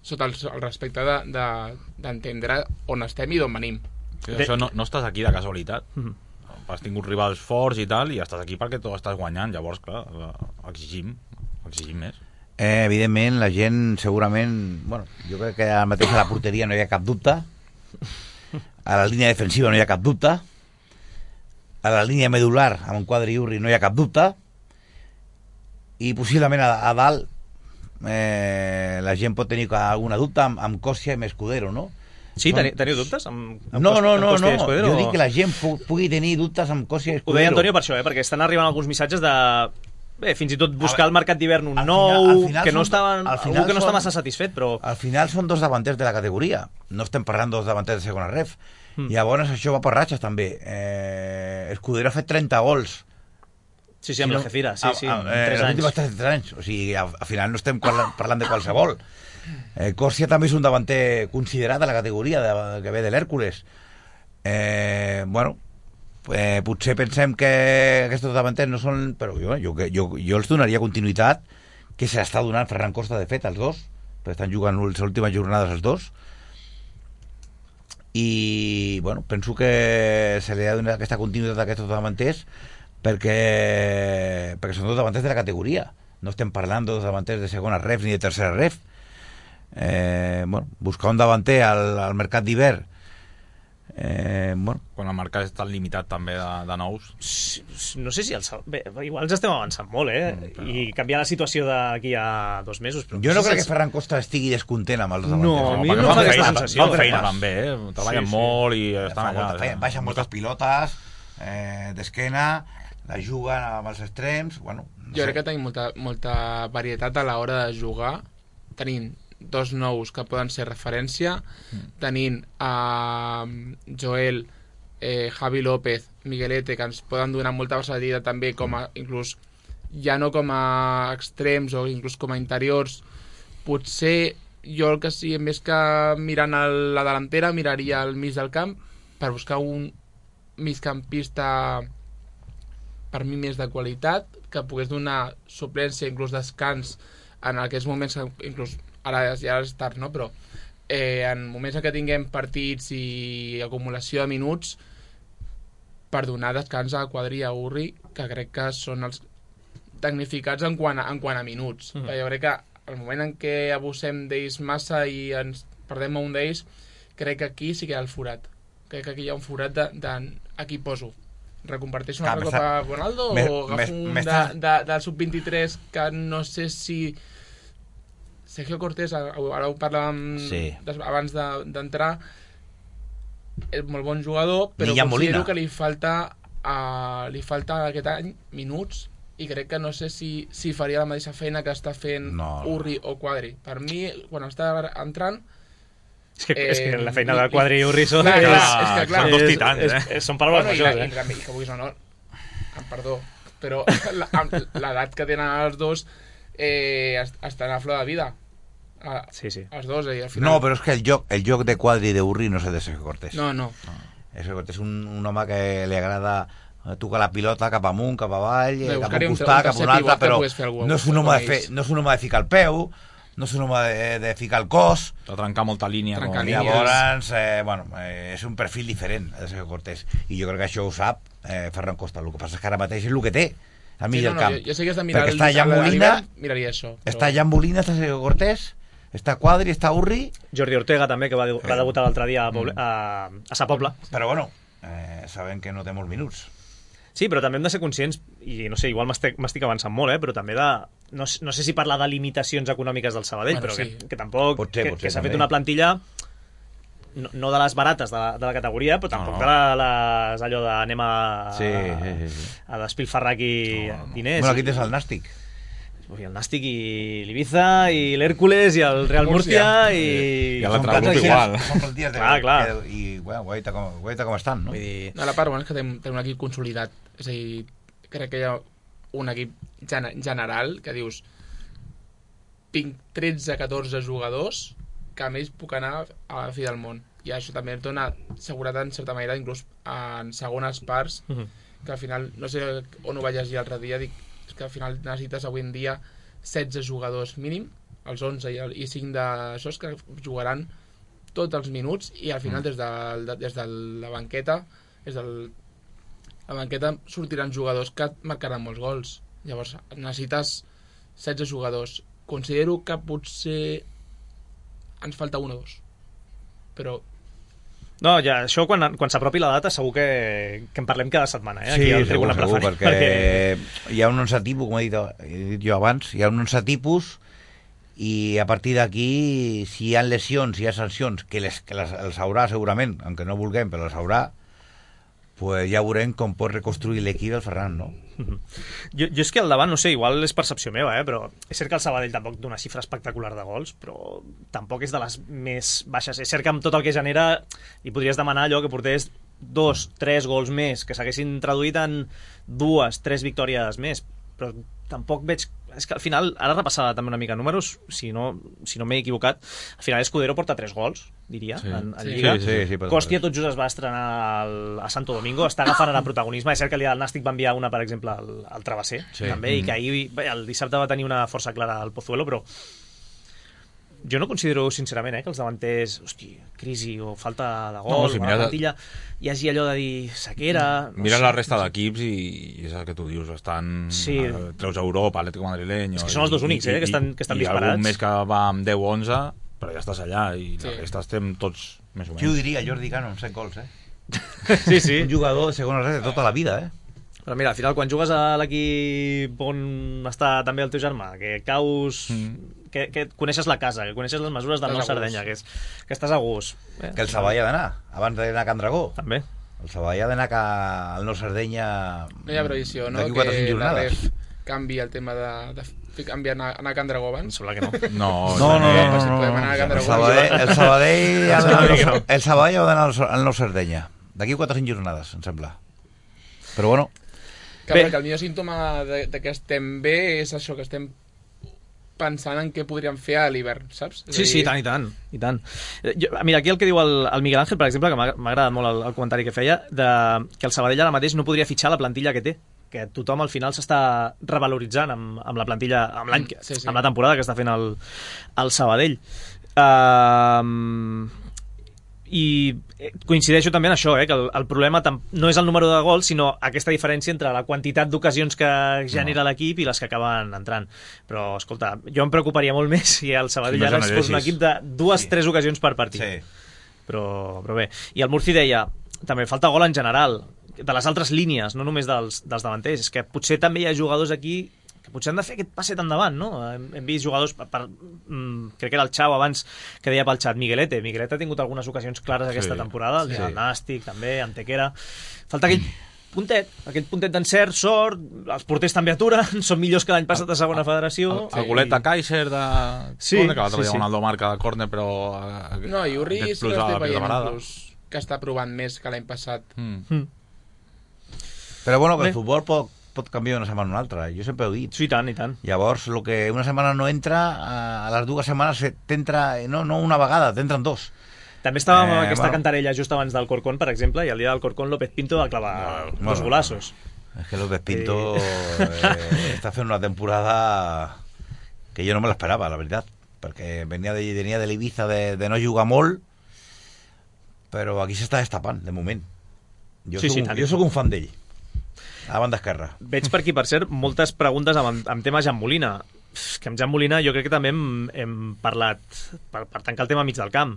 sota el, el respecte d'entendre de, de, on estem i d'on venim. Sí, això no, no estàs aquí de casualitat. Mm-hmm. Has tingut rivals forts i tal, i estàs aquí perquè tu estàs guanyant. Llavors, clar, exigim, exigim més. Eh, evidentment, la gent segurament... Bueno, jo crec que ara mateix a la porteria no hi ha cap dubte. A la línia defensiva no hi ha cap dubte. A la línia medular, amb un quadre i urri, no hi ha cap dubte. I possiblement a, a dalt eh, la gent pot tenir alguna dubte amb, amb Còssia i amb Escudero, no? Sí, teniu, teniu dubtes? Amb, amb no, no, no, amb no. Escudero, jo o... dic que la gent pu pugui tenir dubtes amb Còssia i Escudero. Ho deia Antonio per això, eh? Perquè estan arribant alguns missatges de... Bé, fins i tot buscar al mercat d'hivern un nou, final, final que no està, algú que no està massa satisfet, però... Al final són dos davanters de la categoria. No estem parlant dos davanters de segona ref. Mm. Llavors això va per ratxes, també. Eh, Escudero ha fet trenta gols. Sí, sí, amb si no, l'Algeciras, sí, sí, a, a, eh, tres anys. tres anys. O sigui, al, al final no estem parlant de qualsevol. Eh, Còrsia també és un davanter considerat a la categoria de, que ve de l'Hèrcules. Eh, bueno, eh, potser pensem que aquests davanters no són... Però jo, jo, jo, jo els donaria continuïtat, que se l'està donant Ferran Costa, de fet, els dos, perquè estan jugant les últimes jornades els dos. I, bueno, penso que se li ha donat aquesta continuïtat a aquests davanters perquè, perquè són dos davanters de la categoria. No estem parlant de dos davanters de segona ref ni de tercera ref. Eh, bueno, buscar un davanter al, al mercat d'hivern, eh, bueno. Quan el mercat és tan limitat també de, de nous, no sé si el, bé, igual ens estem avançant molt, eh? Mm, però... i canviar la situació d'aquí a dos mesos, però jo no, no crec els... que Ferran Costa estigui descontent amb els dos davanters. No, a mi no, no, no fa aquesta sensació. Fan feina també, eh? Treballen sí, sí. molt i estan allà, feina, baixen moltes pilotes eh, d'esquena, la juguen amb els extrems, bueno, Jo crec que tenim molta, molta varietat a l'hora de jugar, tenint dos nous que poden ser referència, mm. tenint a uh, Joel, eh, Javi López, Miguelete, que ens poden donar molta versatilitat també, com a, inclús, ja no com a extrems o inclús com a interiors. Potser jo el que sí, més que mirant a la delantera, miraria al mig del camp per buscar un migcampista per mi més de qualitat, que pogués donar suplència, inclús descans en aquests moments, inclús ara ja és tard, no? Però eh, en moments en què tinguem partits i acumulació de minuts, per donar descans a Quadri i a Urri, que crec que són els tecnificats en quant a, en quant a minuts. Mm. Jo crec que el moment en què abusem d'ells massa i ens perdem a un d'ells, crec que aquí sí que hi ha el forat. Crec que aquí hi ha un forat de, de aquí poso. Recomparteixo una altra copa a Ronaldo me, o agafo un de, de, del sub vint-i-tres que no sé si Sergio Cortés, ara ho parlàvem sí. abans d'entrar, és molt bon jugador, però considero Molina. que li falta uh, li falta aquest any minuts, i crec que no sé si, si faria la mateixa feina que està fent no. Urri o Quadri. Per mi, quan està entrant, és que, eh, és que la feina de Quadri i Urri són, clar, és, és, és que, clar, són dos titans, és, eh? és, és, són paraules bueno, majors, i, eh? I, i, que vulguis o no, perdó, però l'edat que tenen els dos eh, estan a flor de vida. A, sí, sí. Els dos, eh, al final. No, però és que el joc, el joc de Quadri i d'Urri no és el de Sergio Cortés. No, no. no. Sergio Cortés és un, un home que li agrada tocar la pilota cap amunt, cap avall, Bé, cap a un costat, cap a un altre, però no és un home de, fer, no és un home de ficar el peu, no és un home de, de ficar el cos, de trencar molta línia, trencar com... llavors eh, bueno, eh, és un perfil diferent el de Sergio Cortés, i jo crec que això ho sap eh, Ferran Costa. El que passa és que ara mateix és el que té al mig sí, del no, camp, no, jo, jo sé que has de mirar perquè està Jan Molina, miraria això, però... està Jan Molina, està Sergio Cortés, està Quadri, està Urri, Jordi Ortega també, que va, va debutar l'altre dia a, Poble, a, a Sa Pobla, però bueno, eh, sabem que no té molts minuts. Sí, però també hem de ser conscients, i no sé, igual m'estic avançant molt, eh, però també de... No, no sé si parlar de limitacions econòmiques del Sabadell, bueno, però sí. que, que tampoc... Pot ser, que, pot ser, que s'ha també. fet una plantilla, no, no de les barates de la, de la categoria, però tampoc no, no. de les allò de anem a, sí, sí, sí, sí. a despilfarrar aquí no, no. diners. Bueno, aquí tens el Nàstic. I el Nàstic i l'Ibiza i l'Hèrcules i el Real Múrcia i... I l'altre grup igual. Són plantilles de... clar, clar. Que, i bueno, guaita com, guaita com estan, no? Vull dir... No, la part bona és que tenim, tenim un equip consolidat. És a dir, crec que hi ha un equip gen general que dius tinc tretze catorze jugadors que a més puc anar a la fi del món. I això també et dona seguretat en certa manera, inclús en segones parts, uh -huh. que al final, no sé on ho vaig llegir l'altre dia, dic que al final necessites avui en dia setze jugadors mínim, els onze i, el, i cinc d'aixòs que jugaran tots els minuts, i al final mm. des, de, de, des de la banqueta des de la banqueta sortiran jugadors que et marcaran molts gols. Llavors necessites setze jugadors. Considero que potser ens falta un o dos, però no, ja, això quan, quan s'apropi la data segur que, que en parlem cada setmana, eh? Aquí sí, al segur, segur, preferent, perquè, perquè hi ha un onze tipus, com he dit, he dit jo abans, hi ha un onze tipus, i a partir d'aquí, si hi ha lesions, si hi ha sancions, que, les, que les, els haurà segurament, aunque no vulguem, però els haurà, pues ja veurem com pot reconstruir l'equip el Ferran, no? Jo, jo és que al davant, no sé, igual és percepció meva, eh? Però és cert que el Sabadell tampoc té una xifra espectacular de gols, però tampoc és de les més baixes. És cert que amb tot el que genera li podries demanar allò que portés dos, tres gols més, que s'haguessin traduït en dues, tres victòries més, però tampoc veig... És que al final, ara repassava també una mica números, si no, si no m'he equivocat, al final Escudero porta tres gols, diria, sí. en, en sí. Lliga. Sí, sí, sí, Còstia tot just es va estrenar al, a Santo Domingo, està agafant ara protagonisme. És cert que el Nàstic va enviar una, per exemple, al, al Travesser, sí. també, mm-hmm. i que ahir, bé, el dissabte va tenir una força clara al Pozuelo, però jo no considero, sincerament, eh, que els davanters, hosti, crisi o falta de gol, no, si o la plantilla, hi hagi allò de dir sequera... No mira sé, la resta no sé. d'equips i, i és el que tu dius, estan... Sí. Eh, treus a Europa, Atlético Madrileño... És que són els dos únics, eh, que estan, que estan i, disparats. I algun més que va amb deu o onze, però ja estàs allà, i sí. la resta estem tots més o menys. Qui ho diria, Jordi Cano, amb set gols, eh? Sí, sí. Un jugador de segona red de tota la vida, eh? Però mira, al final, quan jugues a l'equip on està també el teu germà, que caus... Mm. Que, que coneixes la casa, que coneixes les mesures del Nou Sardenya, que, és, que estàs a gust. Eh? Que el Savall ha d'anar, abans d'anar a Can Dragó. També. El Savall ha d'anar al Nou Sardenya... No hi ha previsió, no? D'aquí quatre o cinc jornades. La ref, canvi el tema de, de canviar anar, anar a Can Dragó abans? Em sembla que no. No, No, no, Eh, no, si no, podem no, anar a no. Can El Dragó. Sabadell, el Sabadell, ha Em d'anar sembla que al- no. el Sabadell ha d'anar al- al Nou Sardenya. D'aquí quatre o cinc jornades, em sembla. Però bueno, Que, Bé. perquè el millor símptoma de, de que estem bé és això, que estem pensant en què podríem fer a l'hivern, saps? És Sí, a sí, i dir, tant, i tant. I tant. Eh, Jo, mira, aquí el que diu el, el Miguel Ángel, per exemple, que m'ha m'ha agradat molt el, el comentari que feia, de, que el Sabadell ara mateix no podria fitxar la plantilla que té, que tothom al final s'està revaloritzant amb, amb la plantilla, amb l'any, Mm, sí, sí. amb la temporada que està fent el, el Sabadell. Uh, i coincideixo també en això, eh, que el, el problema tam- no és el número de gols, sinó aquesta diferència entre la quantitat d'ocasions que genera l'equip i les que acaben entrant. Però, escolta, jo em preocuparia molt més si el Sabadell Si ara no es fos un generessis. equip de dues, Sí. tres ocasions per partit. sí. Però, però bé. I el Murci deia, també falta gol en general, de les altres línies, no només dels, dels davanters. És que potser també hi ha jugadors aquí que potser han de fer aquest passet endavant, no? Hem, hem vist jugadors, per, per, mm, crec que era el Xau abans que deia pel xat, Miguelete. Miguelete ha tingut algunes ocasions clares aquesta Sí, temporada, el sí. sí. Nàstic també, Antequera. Falta aquell puntet, aquell puntet d'encert, sort, els porters també aturen, són millors que l'any passat a segona federació. El, el golet de Kaiser de... Sí, córner, que l'altre sí, dia sí. Ronaldo marca de córner, però... eh, No, i Urri aquest sí que plus a la estic veient pilota parada. inclús que està provant més que l'any passat. Mm. Mm. Però bueno, que Bé. el futbol pot, pot canviar una setmana a una altra, jo sempre ho he dit. Sí, i tant, i tant. Llavors, el que una setmana no entra, a les dues setmanes t'entra, no, no una vegada, t'entren dos. També estàvem amb Eh, aquesta bueno. cantarella just abans del Corcón, per exemple, i el dia del Corcón López Pinto va clavar Bueno, dos golazos. És que López Pinto eh, està fent una temporada que jo no me l'esperava, la veritat, perquè venia de, venia de l'Ibiza de, de no jugar molt, però aquí s'està destapant, de moment. Jo, Sí, soc, sí, un, tant. jo soc un fan d'ell, a la banda esquerra. Veig per aquí, per cert, moltes preguntes amb, amb tema Jan Molina. Pff, que amb Jan Molina jo crec que també hem, hem parlat, per, per tancar el tema mig del camp.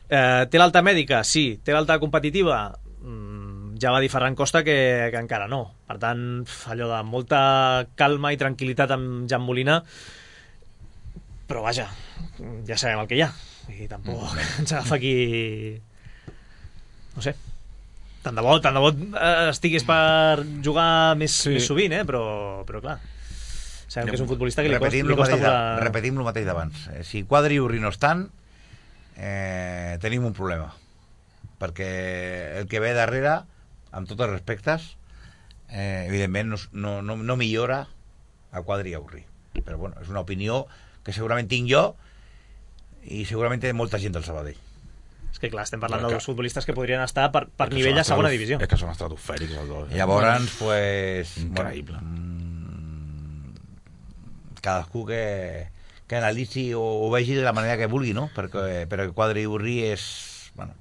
Eh, té l'alta mèdica? Sí. Té l'alta competitiva? Mm, ja va dir Ferran Costa que, que encara no. Per tant, pf, allò de molta calma i tranquil·litat amb Jan Molina, però vaja, ja sabem el que hi ha. I tampoc mm. ens agafa aquí... No sé, tant de bo, tant de bo eh, estigués per jugar més, Sí. més sovint, eh? però, però clar, sabem que és un futbolista que li costa, repetim li el costa mateix, de, posar... repetim el mateix d'abans. Eh, si Quadri i Urri no estan, eh, tenim un problema. Perquè el que ve darrere, amb tots els respectes, eh, evidentment no, no, no, no millora a Quadri i a Urri. Però bueno, és una opinió que segurament tinc jo i segurament té molta gent del Sabadell. És que clar, estem parlant Però de que- dos futbolistes que podrien estar per, per És que nivell són a segona estratos- divisió. És que són estratosfèrics els dos. I llavors, pues... Increïble. Bueno, mm, cadascú que, que analitzi o, o vegi de la manera que vulgui, no? Perquè, perquè Quadri i Urri és... Bueno,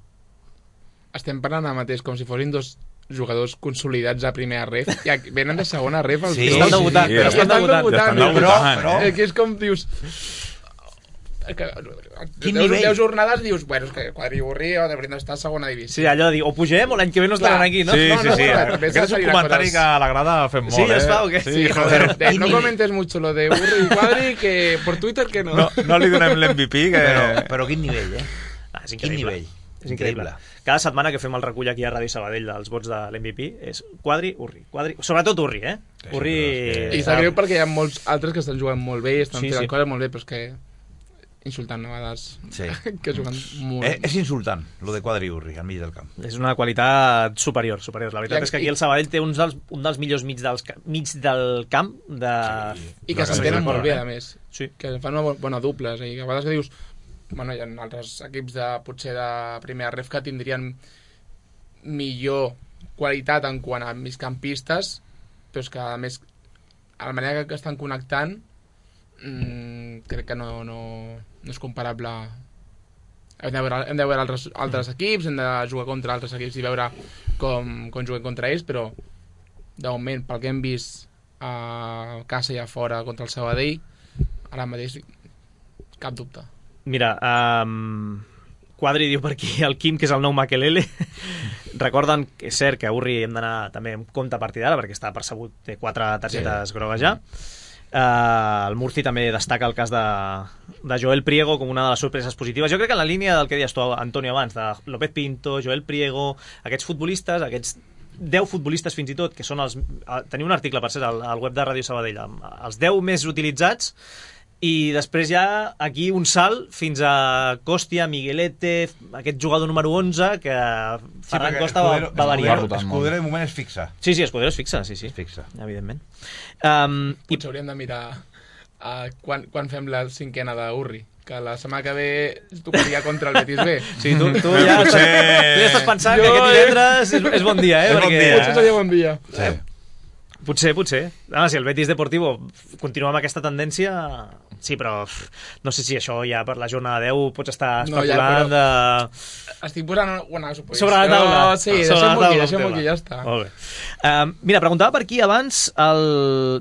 Estem parlant ara mateix com si fossin dos jugadors consolidats a primera ref i aquí venen de segona ref els Sí, dos. estan debutant, sí, però sí. estan debutant. Ja estan dius, debutant, però, però- eh, que és com dius... Que, Quin deu, nivell? deu jornades dius, bueno, és que Quadri i Urri haurien d'estar a segona divisió. Sí, allò de dir, o pugem o l'any que ve no estaran Clar. aquí, no? Sí, No, sí, no, sí. no, també Aquest és un seria comentari coses- que a la grada fem molt, Sí, eh? es fa o què? Sí, Sí, joder. joder, eh, Quin no nivell? comentes mucho lo de Urri y Quadri que por Twitter que no. No, no li donem l'M V P, que... però, però quin nivell, eh? Ah, és Quin increïble. nivell? És increïble. Cada setmana que fem el recull aquí a Ràdio Sabadell dels vots de l'M V P és Quadri, Urri. Quadri, sobretot Urri, eh? Sí, Urri... però és I sap greu perquè hi ha molts altres que estan jugant molt bé, estan Sí, sí, fent sí. sí. coses molt bé, però és que insultant a vegades Sí. que juguen molt Eh, és insultant, lo de Quadri i Urri, al mig del camp. És una qualitat superior, superior. La veritat I- és que aquí el Sabadell té uns dels, un dels millors mig, dels, ca- mig del camp de... Sí. i que Sí, s'entenen sí, molt bé, eh? a més. Sí. Que fan una bo- bona duples, i que a vegades que dius bueno, hi ha altres equips de, potser de primera ref que tindrien millor qualitat en quant a migcampistes, però és que a més a la manera que estan connectant mmm, crec que no, no, no és comparable. Hem de veure, hem de veure altres, altres equips, hem de jugar contra altres equips i veure com, com juguem contra ells, però de moment, pel que hem vist a casa i a fora contra el Sabadell, ara mateix cap dubte. Mira, um, Quadri diu per aquí el Quim, que és el nou Makelele. Recorden que és cert que a Urri hem d'anar també en compte a partir d'ara, perquè està percebut, té quatre targetes sí. grogues ja. Uh, el Murci també destaca el cas de, de Joel Priego com una de les sorpreses positives. Jo crec que en la línia del que deies tu, Antonio, abans, de López Pinto, Joel Priego, aquests futbolistes, aquests deu futbolistes fins i tot, que són els... Teniu un article, per cert, al, al web de Ràdio Sabadell, amb els deu més utilitzats, i després ja aquí un salt fins a Còstia, Miguelete, aquest jugador número onze, que Ferran sí, Costa Escudero, va, va variar. Escudero de moment és fixa. Sí, sí, Escudero és fixa, sí, sí. Fixa. Evidentment. Um, Potser i... hauríem de mirar uh, quan, quan fem la cinquena d'Urri, que la setmana que ve tocaria contra el Betis B. Sí, tu, tu, ja, potser... tu ja estàs pensant jo, que aquest divendres és, és bon dia, eh? És perquè... bon dia. Potser seria bon dia. Sí. Potser, potser. Ah, si el Betis Deportivo continua amb aquesta tendència... Sí, però no sé si això ja per la jornada deu pots estar especulant no, ja, de... Estic posant una suposició. Sobre la taula. No, sí, deixem-ho aquí, deixem-ho aquí, ja està. Molt bé. Uh, mira, preguntava per aquí abans el...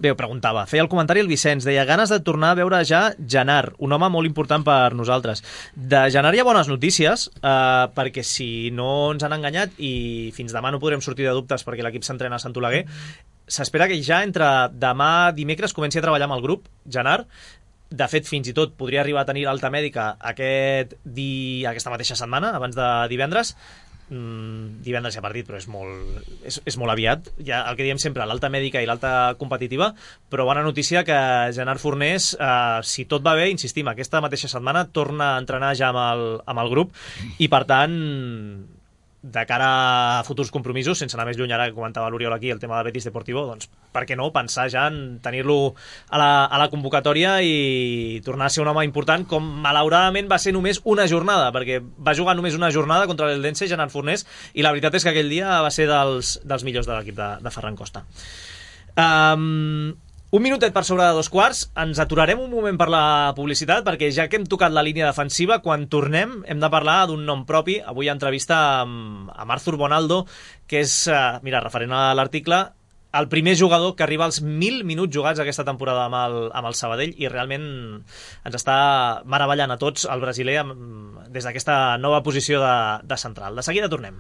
Bé, preguntava, feia el comentari el Vicenç, deia ganes de tornar a veure ja Genar, un home molt important per nosaltres. De Genar hi ha bones notícies, uh, perquè si no ens han enganyat i fins demà no podrem sortir de dubtes perquè l'equip s'entrena a Sant Oleguer, s'espera que ja entre demà dimecres comenci a treballar amb el grup, Genar. De fet, fins i tot podria arribar a tenir l'alta mèdica aquest di... aquesta mateixa setmana, abans de divendres. Mm, divendres hi ha partit, però és molt, és, és molt aviat. Ja, el que diem sempre, l'alta mèdica i l'alta competitiva, però bona notícia que Genar Fornés, eh, si tot va bé, insistim, aquesta mateixa setmana torna a entrenar ja amb el, amb el grup i, per tant, de cara a futurs compromisos, sense anar més lluny, ara que comentava l'Oriol aquí el tema del Betis Deportivo, doncs per què no pensar ja en tenir-lo a la, a la convocatòria i tornar a ser un home important, com malauradament va ser només una jornada, perquè va jugar només una jornada contra l'Eldense, Genar Fornés, i la veritat és que aquell dia va ser dels, dels millors de l'equip de, de Ferran Costa. Um, Un minutet per sobre de dos quarts, ens aturarem un moment per la publicitat, perquè ja que hem tocat la línia defensiva, quan tornem hem de parlar d'un nom propi. Avui hi ha entrevista amb, amb Arthur Bonaldo, que és, eh, mira, referent a l'article, el primer jugador que arriba als mil minuts jugats aquesta temporada amb el, amb el Sabadell, i realment ens està meravellant a tots el brasiler amb, des d'aquesta nova posició de, de central. De seguida tornem.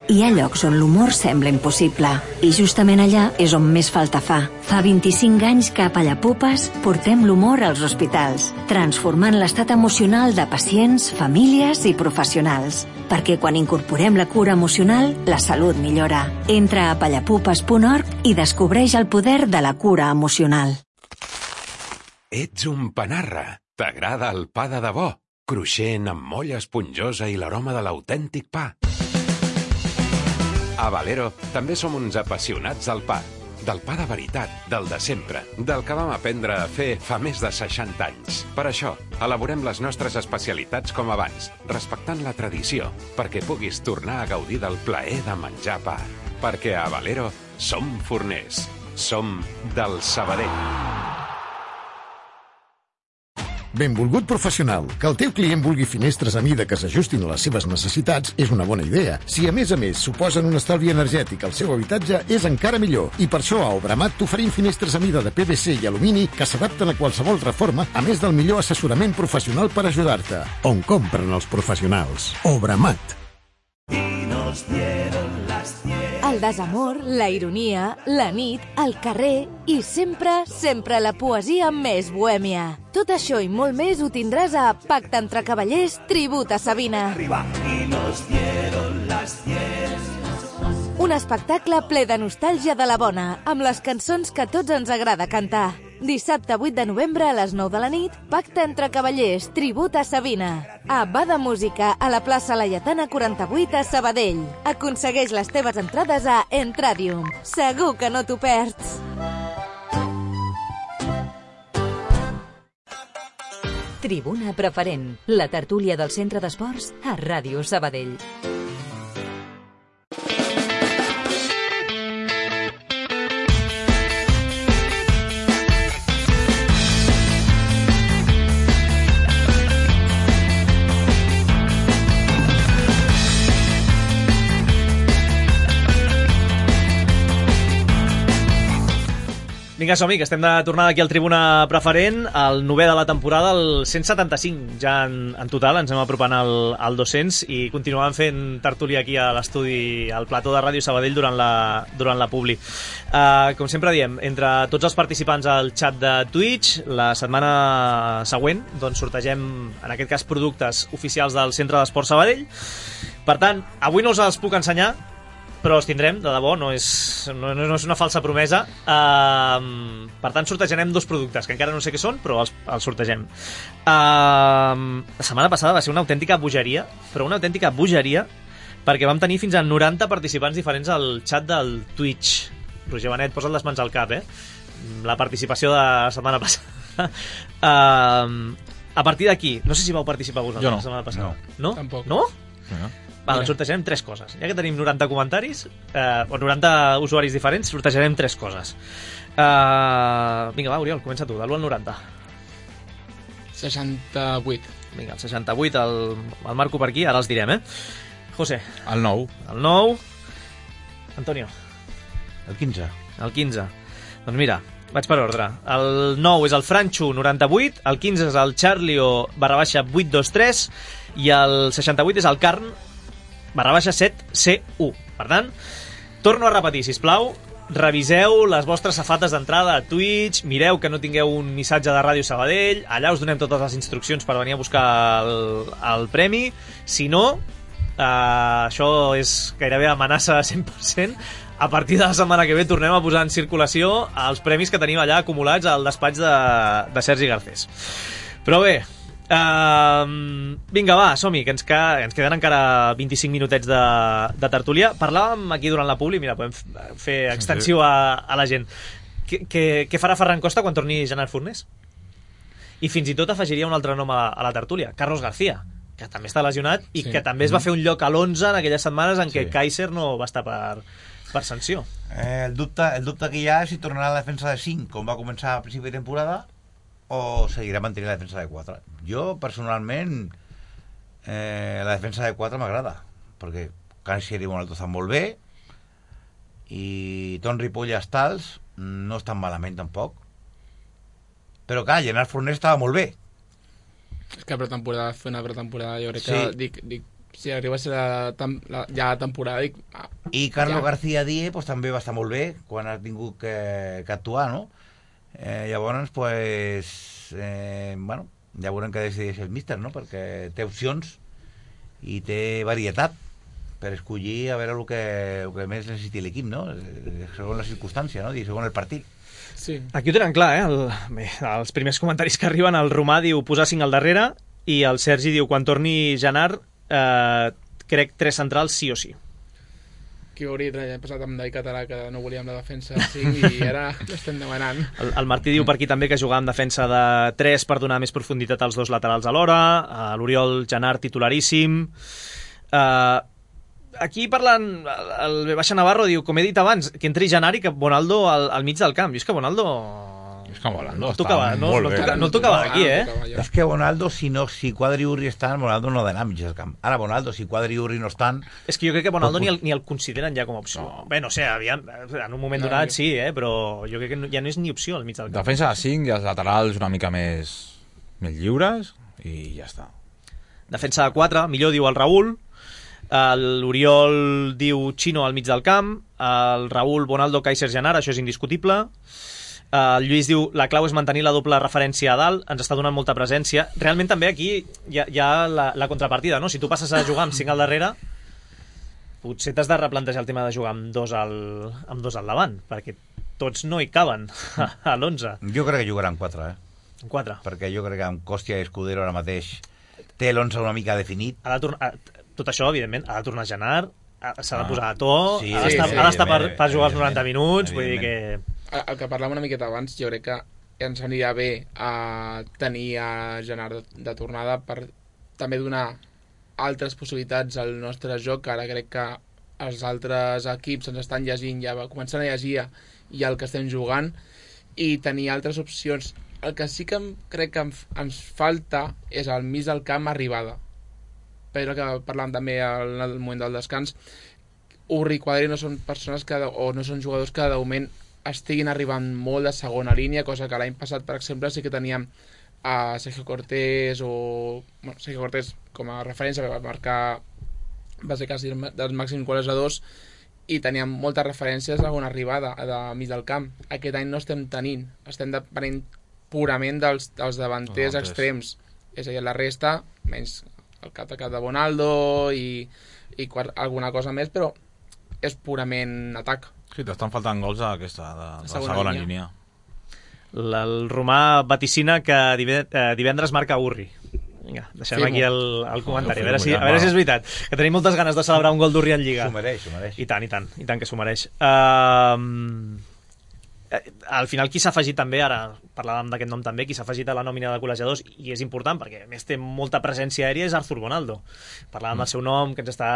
Hi ha llocs on l'humor sembla impossible i justament allà és on més falta fa. Fa vint-i-cinc anys que a Pallapupes portem l'humor als hospitals, transformant l'estat emocional de pacients, famílies i professionals. Perquè quan incorporem la cura emocional, la salut millora. Entra a pallapupes punt org i descobreix el poder de la cura emocional. Ets un panarra. T'agrada el pa de debò? Cruixent, amb molla esponjosa i l'aroma de l'autèntic pa. A Valero també som uns apassionats del pa. Del pa de veritat, del de sempre, del que vam aprendre a fer fa més de seixanta anys. Per això, elaborem les nostres especialitats com abans, respectant la tradició, perquè puguis tornar a gaudir del plaer de menjar pa. Perquè a Valero som forners. Som del Sabadell. Benvolgut professional, que el teu client vulgui finestres a mida que s'ajustin a les seves necessitats és una bona idea. Si a més a més suposen un estalvi energètic al seu habitatge, és encara millor. I per això a Obramat t'oferim finestres a mida de P V C i alumini que s'adapten a qualsevol reforma, a més del millor assessorament professional per ajudar-te. On compren els professionals? Obramat. El desamor, la ironia, la nit, el carrer i sempre, sempre la poesia més bohèmia. Tot això i molt més ho tindràs a Pacte entre Cavallers, Tribut a Sabina. Un espectacle ple de nostàlgia de la bona, amb les cançons que a tots ens agrada cantar. Dissabte vuit de novembre a les nou de la nit, Pacte entre Cavallers, Tribut a Sabina. A Bada Música, a la plaça Laietana quaranta-vuit a Sabadell. Aconsegueix les teves entrades a Entradium. Segur que no t'ho perds. Tribuna Preferent, la tertúlia del Centre d'Esports a Ràdio Sabadell. Vinga, som-hi, que estem de tornada aquí al Tribuna Preferent, el novè de la temporada, el cent setanta-cinc ja en, en total, ens anem apropant al, al dos-cents i continuem fent tertúlia aquí a l'estudi, al plató de Ràdio Sabadell durant la, durant la publi. Uh, com sempre diem, entre tots els participants al xat de Twitch, la setmana següent doncs sortegem, en aquest cas, productes oficials del Centre d'Esport Sabadell. Per tant, avui no us els puc ensenyar, però els tindrem, de debò, no és, no, no és una falsa promesa. Uh, per tant, sortejarem dos productes, que encara no sé què són, però els, els sortegem. Uh, la setmana passada va ser una autèntica bogeria, però una autèntica bogeria, perquè vam tenir fins a noranta participants diferents al xat del Twitch. Roger Benet, posa't les mans al cap, eh? La participació de la setmana passada. Uh, a partir d'aquí, no sé si vau participar vosaltres no. la setmana passada. No, no? tampoc. No? No. Va, doncs sortejarem tres coses. Ja que tenim noranta comentaris, eh, o noranta usuaris diferents, sortejarem tres coses. Uh, vinga, va, Oriol, comença tu, de l'u al noranta. seixanta-vuit. Vinga, el seixanta-vuit, el, el marco per aquí, ara els direm, eh? José. El nou. El nou. Antonio. El quinze. El quinze. Doncs mira, vaig per ordre. El nou és el Franxo, noranta-vuit, el quinze és el Charlio, barra baixa, vuit dos tres, i el seixanta-vuit és el Carn, barra baixa set C u. Per tant, torno a repetir, sisplau, reviseu les vostres safates d'entrada a Twitch, mireu que no tingueu un missatge de Ràdio Sabadell, allà us donem totes les instruccions per venir a buscar el, el premi. Si no, eh, això és gairebé amenaça cent per cent. A partir de la setmana que ve tornem a posar en circulació els premis que tenim allà acumulats al despatx de, de Sergi Garcés. Però bé, Uh, vinga, va, som-hi, que ens, ca... ens queden encara vint-i-cinc minutets de, de tertúlia. Parlàvem aquí durant la publi, mira, podem fer extensiu a, a la gent. Què farà Ferran Costa quan torni Gerard Fornés? I fins i tot afegiria un altre nom a, a la tertúlia, Carlos García, que també està lesionat i sí. que també es va fer un lloc a l'onze en aquelles setmanes en què sí. Kaiser no va estar per, per sanció. Eh, el, dubte, el dubte que hi ha és si tornarà a la defensa de cinc, com va començar a principi de temporada, o seguirà mantenint la defensa de quatre. Jo, personalment, eh, la defensa de quatre m'agrada, perquè Kaiser i Bonaldo estan molt bé, i Ton Ripoll i Stals no estan malament tampoc. Però clar, Gerard Fornés estava molt bé. És que pretemporada, fer una pretemporada, jo crec sí. que dic, dic, si arriba a ser la, la, ja la temporada dic, ah, i Carlos ja. García Díez pues, també va estar molt bé quan ha tingut que, que actuar, no? Eh, llavors, pues, eh, bueno, ja veurem què decideix el míster, no? Perquè té opcions i té varietat per escollir a veure el que, el que més necessiti l'equip, no? Segons la circumstància, no? I segons el partit. Sí. Aquí ho tenen clar, eh? El, bé, els primers comentaris que arriben, el Romà diu posar cinc al darrere i el Sergi diu quan torni Janart eh, crec tres centrals sí o sí. Que hauria passat amb Dai Català, que no volíem la defensa cinc i ara l'estem demanant. El, el Martí diu per aquí també que jugar amb defensa de tres per donar més profunditat als dos laterals alhora. Uh, L'Oriol Janart titularíssim. Uh, aquí parlant, el, el Baixa Navarro diu, com he dit abans, que entri Janart i que Bonaldo al, al mig del camp. I és que Bonaldo... És que Bonaldo no tocava, no, no, toca, no tocava aquí, eh? És que Bonaldo, si, no, si Quadri i Urri estan, Bonaldo no ha d'anar al mig del camp. Ara Bonaldo, si Quadri i Urri no estan... És que jo crec que Bonaldo ni el, ni el consideren ja com a opció. No. Bé, no sé, aviam, en un moment no, donat sí, eh? Però jo crec que ja no és ni opció al mig del camp. Defensa de cinc i els laterals una mica més, més lliures i ja està. Defensa de quatre, millor diu el Raül. L'Oriol diu Chino al mig del camp. El Raül, Bonaldo, Kaiser, Janart, això és indiscutible. Uh, el Lluís diu la clau és mantenir la doble referència a dalt, ens està donant molta presència. Realment també aquí hi ha, hi ha la, la contrapartida, no? Si tu passes a jugar amb cinc al darrere, potser t'has de replantejar el tema de jugar amb dos al, amb dos al davant, perquè tots no hi caben a l'onze. Jo crec que jugarà amb quatre, eh? Amb quatre. Perquè jo crec que amb Còstia i Escudero ara mateix té l'onze una mica definit. Ha de tornar, tot això, evidentment, ha de tornar a Janart, s'ha de posar a to, sí, ha d'estar sí, sí, per, per jugar els noranta minuts, vull dir que... El que parlàvem una miqueta abans, jo crec que ens anirà bé a tenir a Janart de, de tornada per també donar altres possibilitats al nostre joc, que ara crec que els altres equips ens estan llegint, ja començant a llegir ja el que estem jugant, i tenir altres opcions. El que sí que crec que ens falta és al mig del camp arribada. Però que parlàvem també al, al moment del descans, Urri i Quadri no són persones que, o no són jugadors que de moment estiguin arribant molt de segona línia, cosa que l'any passat, per exemple, sí que teníem a Sergio Cortés o... Bueno, Sergio Cortés com a referència, que va marcar va ser quasi dels màxims golejadors, i teníem moltes referències a una arribada de mig del camp. Aquest any no estem tenint, estem depenent purament dels, dels davanters no, extrems. És a dir, la resta, menys el cap de cap de Bonaldo i, i quart, alguna cosa més, però és purament atac. Sí, t'estan faltant gols a aquesta, de, de segona, segona línia. línia. El Romà vaticina que divendres marca Urri. Vinga, deixem sí, aquí el, el comentari, a veure, si, a veure si és veritat, que tenim moltes ganes de celebrar un gol d'Urri en Lliga. S'ho mereix, s'ho mereix. I tant, i tant, i tant que s'ho mereix. Uh, al final qui s'ha afegit també, ara parlàvem d'aquest nom també, qui s'ha afegit a la nòmina de col·legiadors, i és important perquè a més té molta presència aèria, és Arthur Bonaldo. Parlàvem mm. del seu nom, que ens està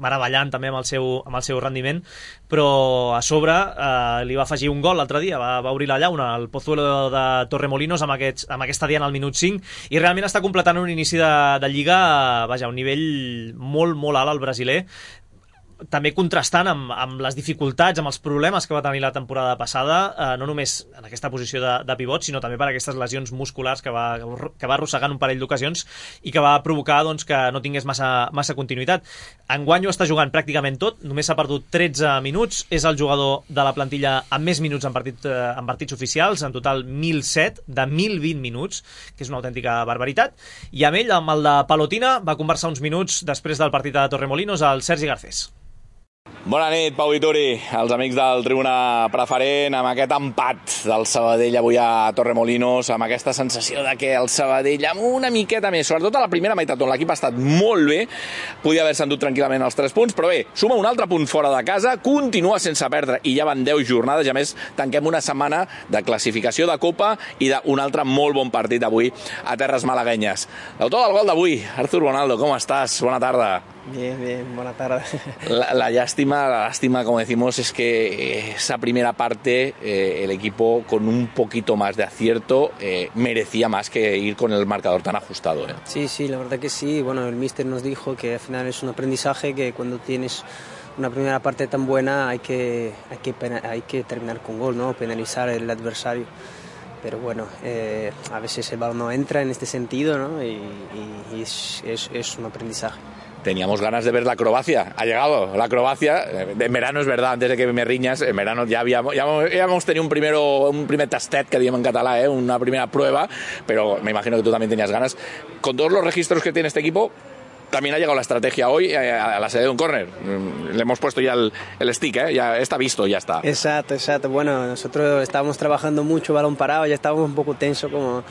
meravellant també amb el seu, amb el seu rendiment, però a sobre eh, li va afegir un gol l'altre dia, va, va obrir la llauna al Pozuelo de Torremolinos amb, aquests, amb aquesta diana al minut cinc, i realment està completant un inici de, de Lliga, vaja, a un nivell molt, molt alt al brasiler, també contrastant amb, amb les dificultats, amb els problemes que va tenir la temporada passada, eh, no només en aquesta posició de, de pivot, sinó també per aquestes lesions musculars que va, que va arrossegant un parell d'ocasions i que va provocar doncs, que no tingués massa, massa continuïtat. Enguany ho està jugant pràcticament tot, només s'ha perdut tretze minuts, és el jugador de la plantilla amb més minuts en, partit, eh, en partits oficials, en total mil set, de mil vint minuts, que és una autèntica barbaritat, i amb ell, amb el de Palotina, va conversar uns minuts després del partit de Torremolinos al Sergi Garcés. Bona nit, Pau i Turi, els amics del Tribuna Preferent, amb aquest empat del Sabadell avui a Torremolinos, amb aquesta sensació de que el Sabadell, amb una miqueta més, sobretot a la primera meitat, on l'equip ha estat molt bé, podia haver-se endut tranquil·lament els tres punts, però bé, suma un altre punt fora de casa, continua sense perdre, i ja van deu jornades, i a més tanquem una setmana de classificació de Copa i d'un altre molt bon partit avui a terres malaguenyes. L'autor del gol d'avui, Arthur Bonaldo, com estàs? Bona tarda. Bien, bien, buena tarde. La, la lástima, la lástima, como decimos, es que esa primera parte eh, el equipo con un poquito más de acierto eh, merecía más que ir con el marcador tan ajustado. ¿eh? Sí, sí, la verdad que sí. Bueno, el míster nos dijo que al final es un aprendizaje, que cuando tienes una primera parte tan buena hay que, hay que, hay que terminar con gol, ¿no? Penalizar al adversario. Pero bueno, eh, a veces el balón no entra en este sentido, ¿no? Y, y, y es, es, es un aprendizaje. Teníamos ganas de ver la acrobacia, ha llegado la acrobacia, en verano es verdad, antes de que me riñas, en verano ya habíamos, ya habíamos tenido un, primero, un primer tastet, que digamos en catalán, ¿eh? Una primera prueba, pero me imagino que tú también tenías ganas. Con todos los registros que tiene este equipo, también ha llegado la estrategia hoy a la sede de un córner. Le hemos puesto ya el, el stick, ¿eh? Ya está visto, ya está. Exacto, exacto. Bueno, nosotros estábamos trabajando mucho balón parado, ya estábamos un poco tenso, como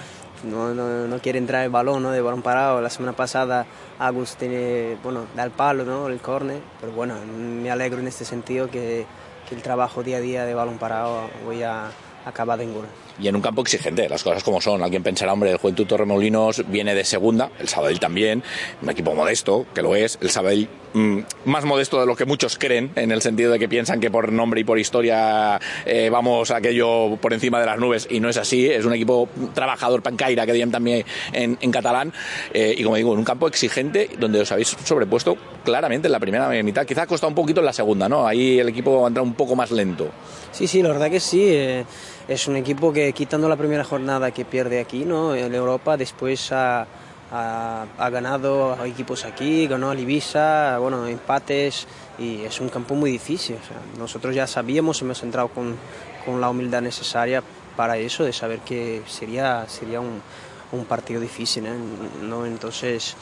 no, no, no quiere entrar el balón, ¿no? De balón parado. La semana pasada Agus tiene, bueno, da el palo, ¿no? El córner, pero bueno, me alegro en este sentido que, que el trabajo día a día de balón parado hoy ha acabado en gol. Y en un campo exigente, las cosas como son. Alguien pensará, hombre, el Juventud Torremolinos viene de segunda, el Sabadell también, un equipo modesto, que lo es, el Sabadell mmm, más modesto de lo que muchos creen, en el sentido de que piensan que por nombre y por historia eh, vamos aquello por encima de las nubes, y no es así. Es un equipo trabajador, pancaira, que digan también en, en catalán, eh, y como digo, en un campo exigente donde os habéis sobrepuesto claramente en la primera mitad. Quizá ha costado un poquito en la segunda, ¿no? Ahí el equipo ha entrado un poco más lento. Sí, sí, la verdad que sí. Eh... Es un equipo que, quitando la primera jornada que pierde aquí, ¿no? En Europa, después ha, ha, ha ganado a equipos aquí, ganó al Ibiza, bueno, empates, y es un campo muy difícil. O sea, nosotros ya sabíamos, hemos entrado con, con la humildad necesaria para eso, de saber que sería, sería un, un partido difícil, ¿eh? ¿No? Entonces,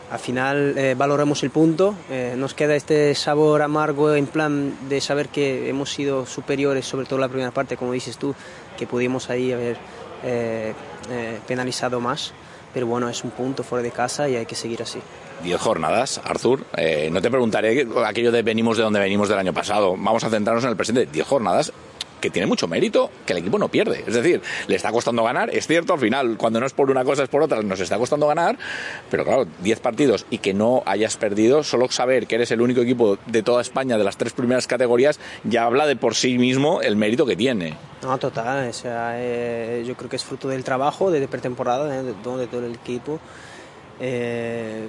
al final eh, valoramos el punto, eh, nos queda este sabor amargo en plan de saber que hemos sido superiores, sobre todo la primera parte, como dices tú, que pudimos ahí haber eh, eh, penalizado más, pero bueno, es un punto fuera de casa y hay que seguir así. Diez jornadas, Arthur, eh, no te preguntaré aquello de venimos de donde venimos del año pasado, vamos a centrarnos en el presente. Diez jornadas que tiene mucho mérito, que el equipo no pierde. Es decir, le está costando ganar, es cierto, al final, cuando no es por una cosa es por otra, nos está costando ganar, pero claro, diez partidos y que no hayas perdido, solo saber que eres el único equipo de toda España de las tres primeras categorías, ya habla de por sí mismo el mérito que tiene. No, total, o sea, eh, yo creo que es fruto del trabajo de pretemporada, eh, de, de todo el equipo. Eh,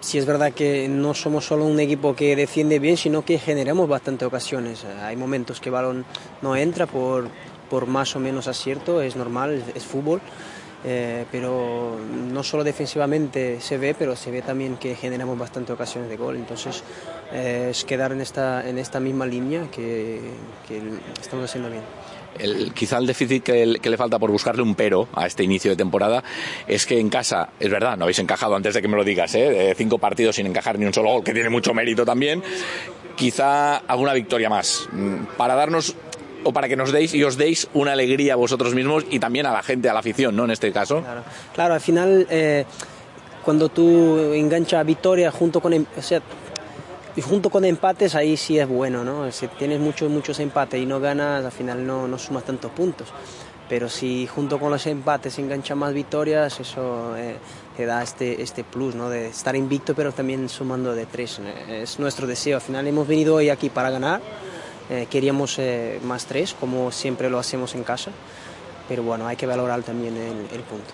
sí es verdad que no somos solo un equipo que defiende bien, sino que generamos bastantes ocasiones. Hay momentos que el balón no entra por, por más o menos acierto, es normal, es, es fútbol. Eh, pero no solo defensivamente se ve, pero se ve también que generamos bastantes ocasiones de gol. Entonces eh, es quedar en esta, en esta misma línea que, que estamos haciendo bien. El, quizá el déficit que, que le falta por buscarle un pero a este inicio de temporada es que en casa, es verdad, no habéis encajado antes de que me lo digas, ¿eh? De cinco partidos sin encajar ni un solo gol, que tiene mucho mérito también. Quizá alguna victoria más para darnos, o para que nos deis y os deis una alegría a vosotros mismos y también a la gente, a la afición, ¿no? En este caso. Claro, claro, al final eh, cuando tú enganchas victoria junto con, o sea, junto con empates, ahí sí es bueno, ¿no? Si tienes muchos muchos empates y no ganas, al final no, no sumas tantos puntos. Pero si junto con los empates enganchas más victorias, eso eh, te da este, este plus, ¿no? De estar invicto, pero también sumando de tres. Es nuestro deseo. Al final hemos venido hoy aquí para ganar. Eh, queríamos eh, más tres, como siempre lo hacemos en casa, pero bueno, hay que valorar también el, el punto.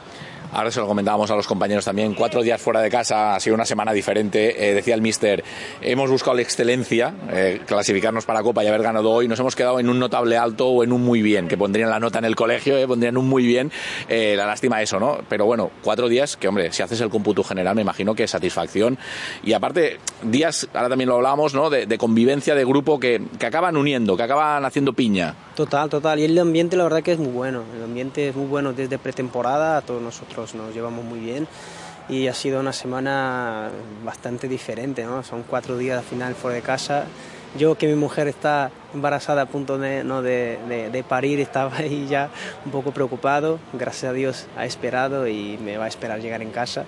Ahora se lo comentábamos a los compañeros también, cuatro días fuera de casa, ha sido una semana diferente, eh, decía el míster, hemos buscado la excelencia, eh, clasificarnos para Copa y haber ganado hoy, nos hemos quedado en un notable alto o en un muy bien, que pondrían la nota en el colegio, eh, pondrían un muy bien, eh, la lástima eso, ¿no? Pero bueno, cuatro días que, hombre, si haces el cómputo general me imagino que es satisfacción, y aparte, días, ahora también lo hablábamos, ¿no? De, de convivencia de grupo que, que acaban uniendo, que acaban haciendo piña. Total, total, y el ambiente la verdad que es muy bueno, el ambiente es muy bueno desde pretemporada, a todos nosotros nos llevamos muy bien y ha sido una semana bastante diferente, ¿no? Son cuatro días al final fuera de casa. Yo, que mi mujer está embarazada a punto de, ¿no? de, de, de parir, estaba ahí ya un poco preocupado, gracias a Dios ha esperado y me va a esperar llegar en casa.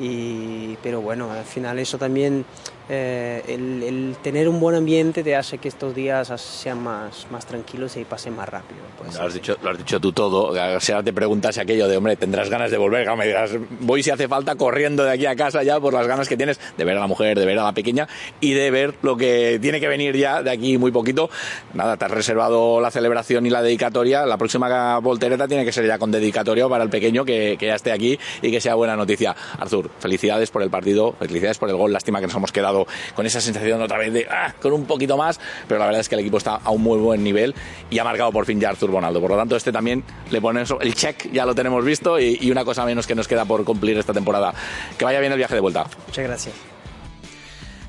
Y, pero bueno, al final eso también, eh, el, el tener un buen ambiente te hace que estos días sean más, más tranquilos y pasen más rápido. Pues, lo, has dicho, lo has dicho tú todo, o sea, te preguntas aquello de, hombre, tendrás ganas de volver, me dirás, voy si hace falta corriendo de aquí a casa ya por las ganas que tienes de ver a la mujer, de ver a la pequeña y de ver lo que tiene que venir ya de aquí muy poquito. Nada, te has reservado la celebración y la dedicatoria, la próxima voltereta tiene que ser ya con dedicatoria para el pequeño que, que ya esté aquí y que sea buena noticia. Artur, felicidades por el partido, felicidades por el gol, lástima que nos hemos quedado con esa sensación otra vez de ah, con un poquito más, pero la verdad es que el equipo está a un muy buen nivel y ha marcado por fin ya Artur Bonaldo, por lo tanto este también le pone eso, el check, ya lo tenemos visto y, y una cosa menos que nos queda por cumplir esta temporada. Que vaya bien el viaje de vuelta. Muchas gracias.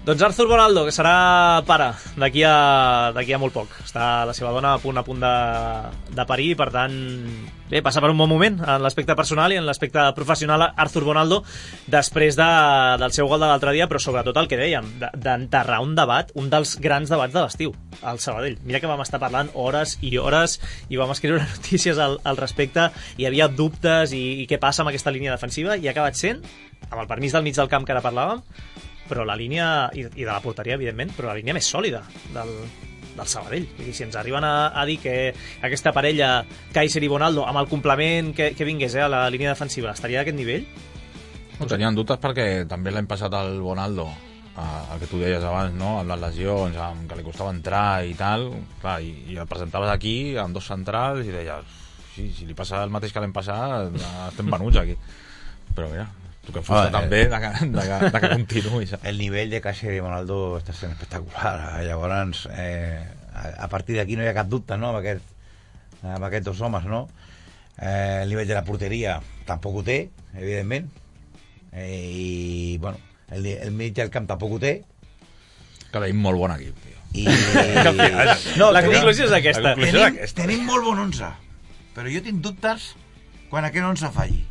Doncs Artur Bonaldo, que serà pare d'aquí a, d'aquí a molt poc. Està la seva dona a punt a punt de, de parir, per tant, bé, passa per un bon moment en l'aspecte personal i en l'aspecte professional Artur Bonaldo, després de, del seu gol de l'altre dia, però sobretot el que dèiem, d'enterrar un debat, un dels grans debats de l'estiu, al Sabadell. Mira que vam estar parlant hores i hores i vam escriure notícies al, al respecte, hi havia dubtes i, i què passa amb aquesta línia defensiva, i ha acabat sent, amb el permís del mig del camp que ara parlàvem, però la línia, i, i de la porteria evidentment, però la línia més sòlida del, del Sabadell. Vull dir, si ens arriben a, a dir que aquesta parella Kaiser i Bonaldo, amb el complement que, que vingués eh, a la línia defensiva, estaria d'aquest nivell? No, tenien dubtes perquè també l'hem passat al Bonaldo, el que tu deies abans, no? Amb les lesions, amb que li costava entrar i tal, clar, i, i el presentaves aquí amb dos centrals i deies, sí, si li passa el mateix que l'hem passat, estem venuts aquí. Però mira, tu que em fusta ah, també de que, de, que, de que continuï. El nivell de Kaiser i Bonaldo està sent espectacular. Llavors, eh, a, a partir d'aquí no hi ha cap dubte, no?, amb, aquest, amb aquests dos homes, no? Eh, el nivell de la porteria tampoc ho té, evidentment. Eh, I, bueno, el, el mig del camp tampoc ho té. Que tenim molt bon equip, tio. I... no, la conclusió és aquesta. Tenim, tenim molt bon onze, però jo tinc dubtes quan aquest onze falli.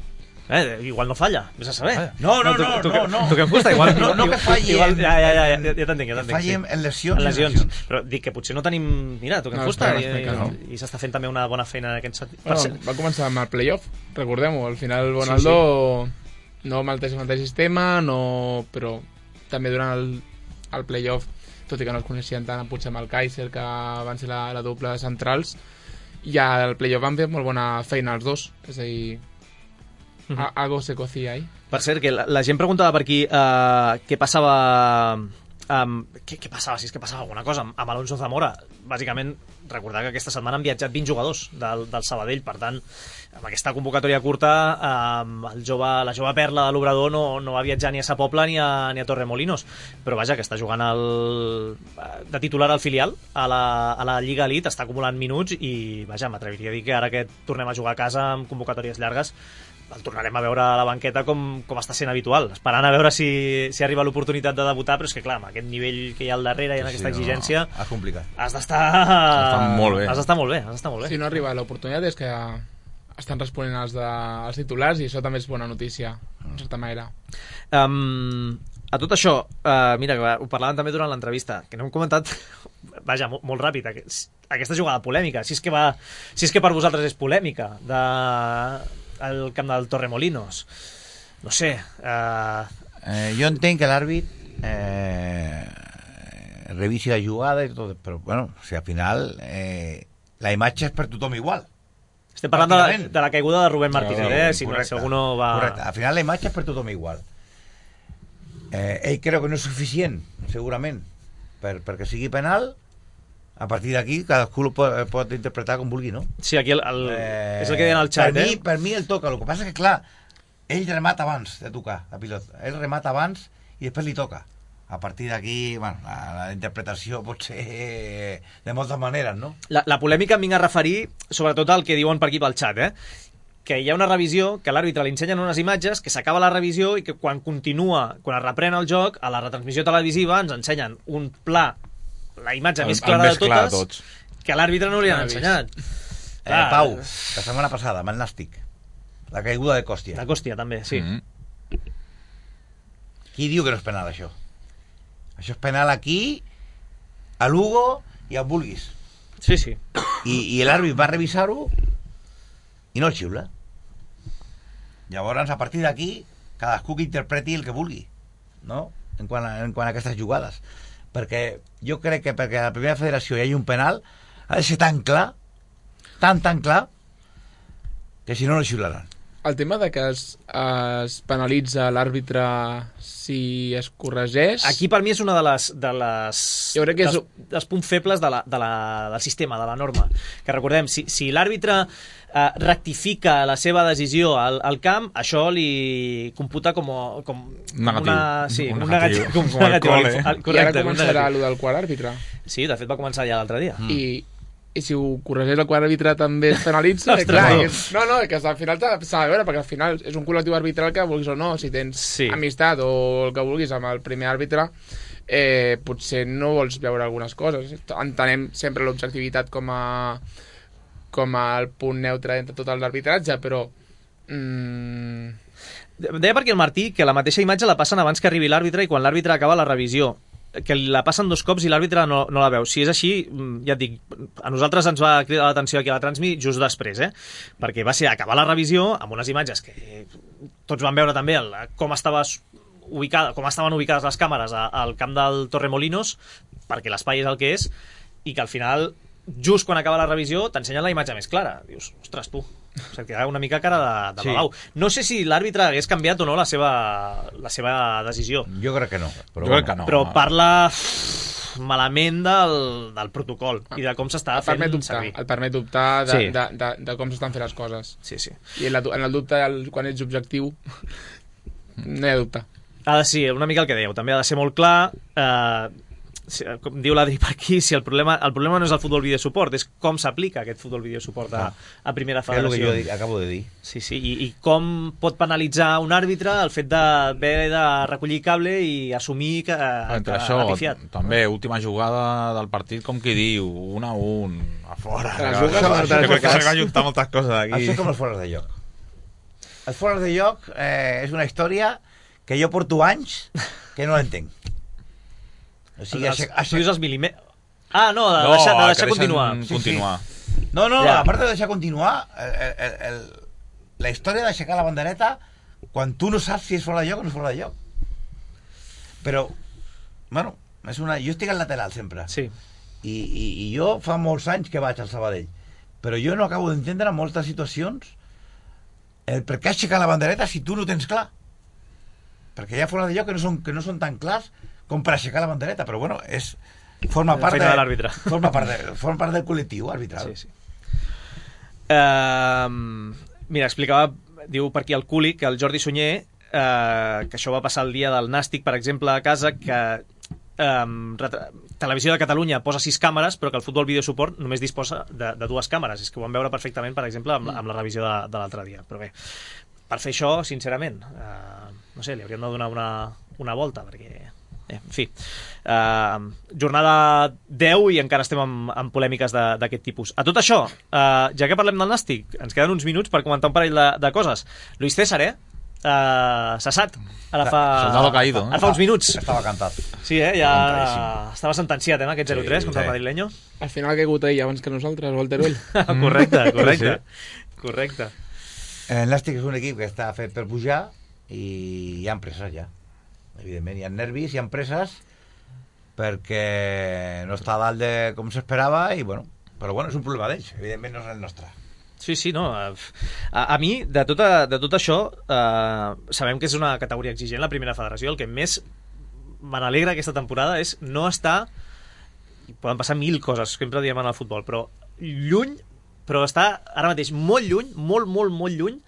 Eh, igual no falla, vés a saber. No, no, no, no, tu, no, no. Tu que em gusta, igual... No, no que falli... Igual, ja, ja, ja, ja, ja t'entenc, ja t'entenc. Que falli en, sí. en lesions. En lesions. lesions. Però dic que potser no tenim... Mira, tu que em no, fusta, i, explica, no. i, i s'està fent també una bona feina en aquest sentit. Bueno, ser... va començar amb el playoff, recordem-ho, al final Bonaldo sí, sí. no amb el mateix sistema, no... però també durant el, el playoff, tot i que no es coneixien tant, potser amb el Kaiser, que van ser la, la doble de centrals, i al playoff van fer molt bona feina els dos, és a dir... Uh-huh. Algo se cocía ahí. Per cert, que la, la gent preguntava per aquí uh, què passava Um, què, què passava? Si és que passava alguna cosa amb Alonso Zamora. Bàsicament, recordar que aquesta setmana han viatjat vint jugadors del, del Sabadell, per tant, amb aquesta convocatòria curta, um, el jove, la jove perla de l'Obrador no, no va viatjar ni a Sa Pobla ni a, ni a Torremolinos, però vaja, que està jugant el, de titular al filial a la, a la Lliga Elite, està acumulant minuts i, vaja, m'atreviria a dir que ara que tornem a jugar a casa amb convocatòries llargues, el tornarem a veure a la banqueta com, com està sent habitual, esperant a veure si, si arriba l'oportunitat de debutar, però és que clar, amb aquest nivell que hi ha al darrere i en aquesta sí, exigència no, no. És complicat. Has d'estar molt bé. Has d'estar molt bé, has d'estar molt bé. Si no arriba l'oportunitat és que estan responent els, de, els titulars i això també és bona notícia, en certa manera. Um, a tot això, uh, mira, ho parlàvem també durant l'entrevista, que no hem comentat, vaja, molt, molt ràpid, aquesta jugada polèmica, si és que, va, si és que per vosaltres és polèmica, de... al camp del Torremolinos, no sé uh... eh, jo entenc que l'àrbit eh, revisi la jugada i tot, però bueno, o sigui, al final eh, la imatge és per tothom igual. Estem parlant de la, de la caiguda de Rubén Martínez, no, eh? si, correcte, si algú no va... correcte. Al final la imatge és per tothom igual. eh, ell creu que no és suficient segurament per, perquè sigui penal. A partir d'aquí, cadascú ho pot, pot interpretar com vulgui, no? Sí, aquí el, el, eh, és el que deien al xat, per eh? Mi, per mi el toca, el que passa que, clar, ell remata abans de tocar, la pilota. Ell remata abans i després li toca. A partir d'aquí, bueno, la, la interpretació pot ser de moltes maneres, no? La, la polèmica em vinc a referir sobretot al que diuen per aquí pel xat, eh? Que hi ha una revisió, que a l'àrbitre li ensenyen unes imatges, que s'acaba la revisió i que quan continua, quan es reprèn el joc, a la retransmissió televisiva ens ensenyen un pla, la imatge el, més clara més de totes, clar de tots, que a l'àrbitre no li han ensenyat. Eh, Pau, la setmana passada, amb el Nàstic, la caiguda de Còstia. De Còstia, també, sí. Mm-hmm. Qui diu que no és penal, això? Això és penal aquí, a Lugo i a Vulguis. Sí, sí. I, i l'àrbit va revisar-ho i no el xiula. Llavors, a partir d'aquí, cadascú que interpreti el que vulgui, no? En quant a, en quant a aquestes jugades. Perquè jo crec que perquè a la primera federació hi hagi un penal ha de ser tan clar, tan, tan clar, que si no, no xiularan. El tema de que es, es penalitza l'àrbitre si es corregeix... Aquí per mi és una de les, de les jo crec que és... dels, dels punts febles de la, de la, del sistema, de la norma. Que recordem, si, si l'àrbitre eh, rectifica la seva decisió al, al camp, això li computa com, com negatiu. Una, sí, un, un negatiu, negatiu, com, com un negatiu. Cole. Correcte, I ara començarà allò del quart àrbitre. Sí, de fet va començar ja l'altre dia. Mm. I i si ho corregeix el quart àrbitre també es penalitza. Ostres, clar, no. És, no, no, que al final s'ha de veure, perquè al final és un col·lectiu arbitral que vulguis o no, si tens sí. amistat o el que vulguis amb el primer àrbitre, eh, potser no vols veure algunes coses. Entenem sempre l'objectivitat com a com el punt neutre entre tot l'arbitratge, però mm... deia perquè el Martí que la mateixa imatge la passen abans que arribi l'àrbitre i quan l'àrbitre acaba la revisió, que la passen dos cops i l'àrbitre no, no la veu. Si és així, ja et dic, a nosaltres ens va cridar l'atenció aquí a la Transmi just després, eh? Perquè va ser acabar la revisió amb unes imatges que tots van veure també el, com estava ubicada, com estaven ubicades les càmeres al camp del Torremolinos, perquè l'espai és el que és, i que al final, just quan acaba la revisió, t'ensenyen la imatge més clara. Dius, ostres, tu, se't queda una mica cara de, de sí. babau. No sé si l'àrbitre hagués canviat o no la seva, la seva decisió. Jo crec que no. Però, jo crec que no. Però parla malament del, del protocol i de com s'està fent dubtar, servir. Et permet dubtar de, sí. de, de, de com s'estan fent les coses. Sí, sí. I en, la, en el dubte, el, quan ets objectiu, no hi ha dubte. Ha de ser, una mica el que dèieu, també ha de ser molt clar... Eh, com diu l'Adri per aquí, si el problema, el problema no és el futbol videosuport, és com s'aplica aquest futbol videosuport a, a primera federació. És el que jo dic, acabo de dir. Sí, sí, i, i com pot penalitzar un àrbitre el fet d'haver de recollir cable i assumir que, entre que això, ha pifiat. També, última jugada del partit, com qui diu, un a un, a fora. Jo crec que s'han ajuntat moltes coses aquí. Això és com els fores de lloc. Els fores de lloc eh, és una història que jo porto anys que no l'entenc. O sigui, els, aixec, aixec... els mil·límetres... Ah, no, de no, deixar, de deixar continuar. continuar. Sí, sí. No, no, ja. a part de deixar continuar, el, el, el, la història d'aixecar la bandereta quan tu no saps si és fora de lloc o no és fora de lloc. Però, bueno, és una... jo estic al lateral sempre. Sí. I, i, i jo fa molts anys que vaig al Sabadell. Però jo no acabo d'entendre moltes situacions el per què aixecar la bandereta si tu no tens clar. Perquè hi ha fora de lloc que no són, que no són tan clars com per aixecar la bandereta, però bueno, és forma La part feina de, de l'àrbitre. forma part, de, forma part del col·lectiu arbitral. Sí, sí. Uh, mira, explicava, diu per aquí el Culi, que el Jordi Sunyer, uh, que això va passar el dia del Nàstic, per exemple, a casa, que um, Televisió de Catalunya posa sis càmeres, però que el Futbol Video Support només disposa de, de dues càmeres. És que ho vam veure perfectament, per exemple, amb, amb la revisió de, de l'altre dia. Però bé, per fer això, sincerament, uh, no sé, li hauríem de donar una, una volta, perquè... Eh, en fi, uh, jornada deu i encara estem amb, amb polèmiques d'aquest tipus. A tot això, uh, ja que parlem del Nàstic, ens queden uns minuts per comentar un parell de, de coses. Luis César, eh? Uh, cessat ara fa, Soldado caído, ara fa uns minuts. Estava cantat. Sí, eh? Ja estava sentenciat, eh, aquest zero tres sí, contra sí. el madrileño. Al final ha caigut ell abans que nosaltres, o el Teruel. Correcte, correcte. Sí. Correcte. El Nàstic és un equip que està fet per pujar i hi ha empreses ja. Evidentment, hi ha nervis, hi ha empreses perquè no està a dalt de com s'esperava i bueno, però bueno, és un problema d'ells, evidentment no és el nostre. Sí, sí, no. A, a mi, de tot, a, de tot això, eh, sabem que és una categoria exigent la primera federació. El que més me n'alegra aquesta temporada és no estar... Poden passar mil coses, sempre diem en el futbol, però lluny, però està ara mateix molt lluny, molt, molt, molt lluny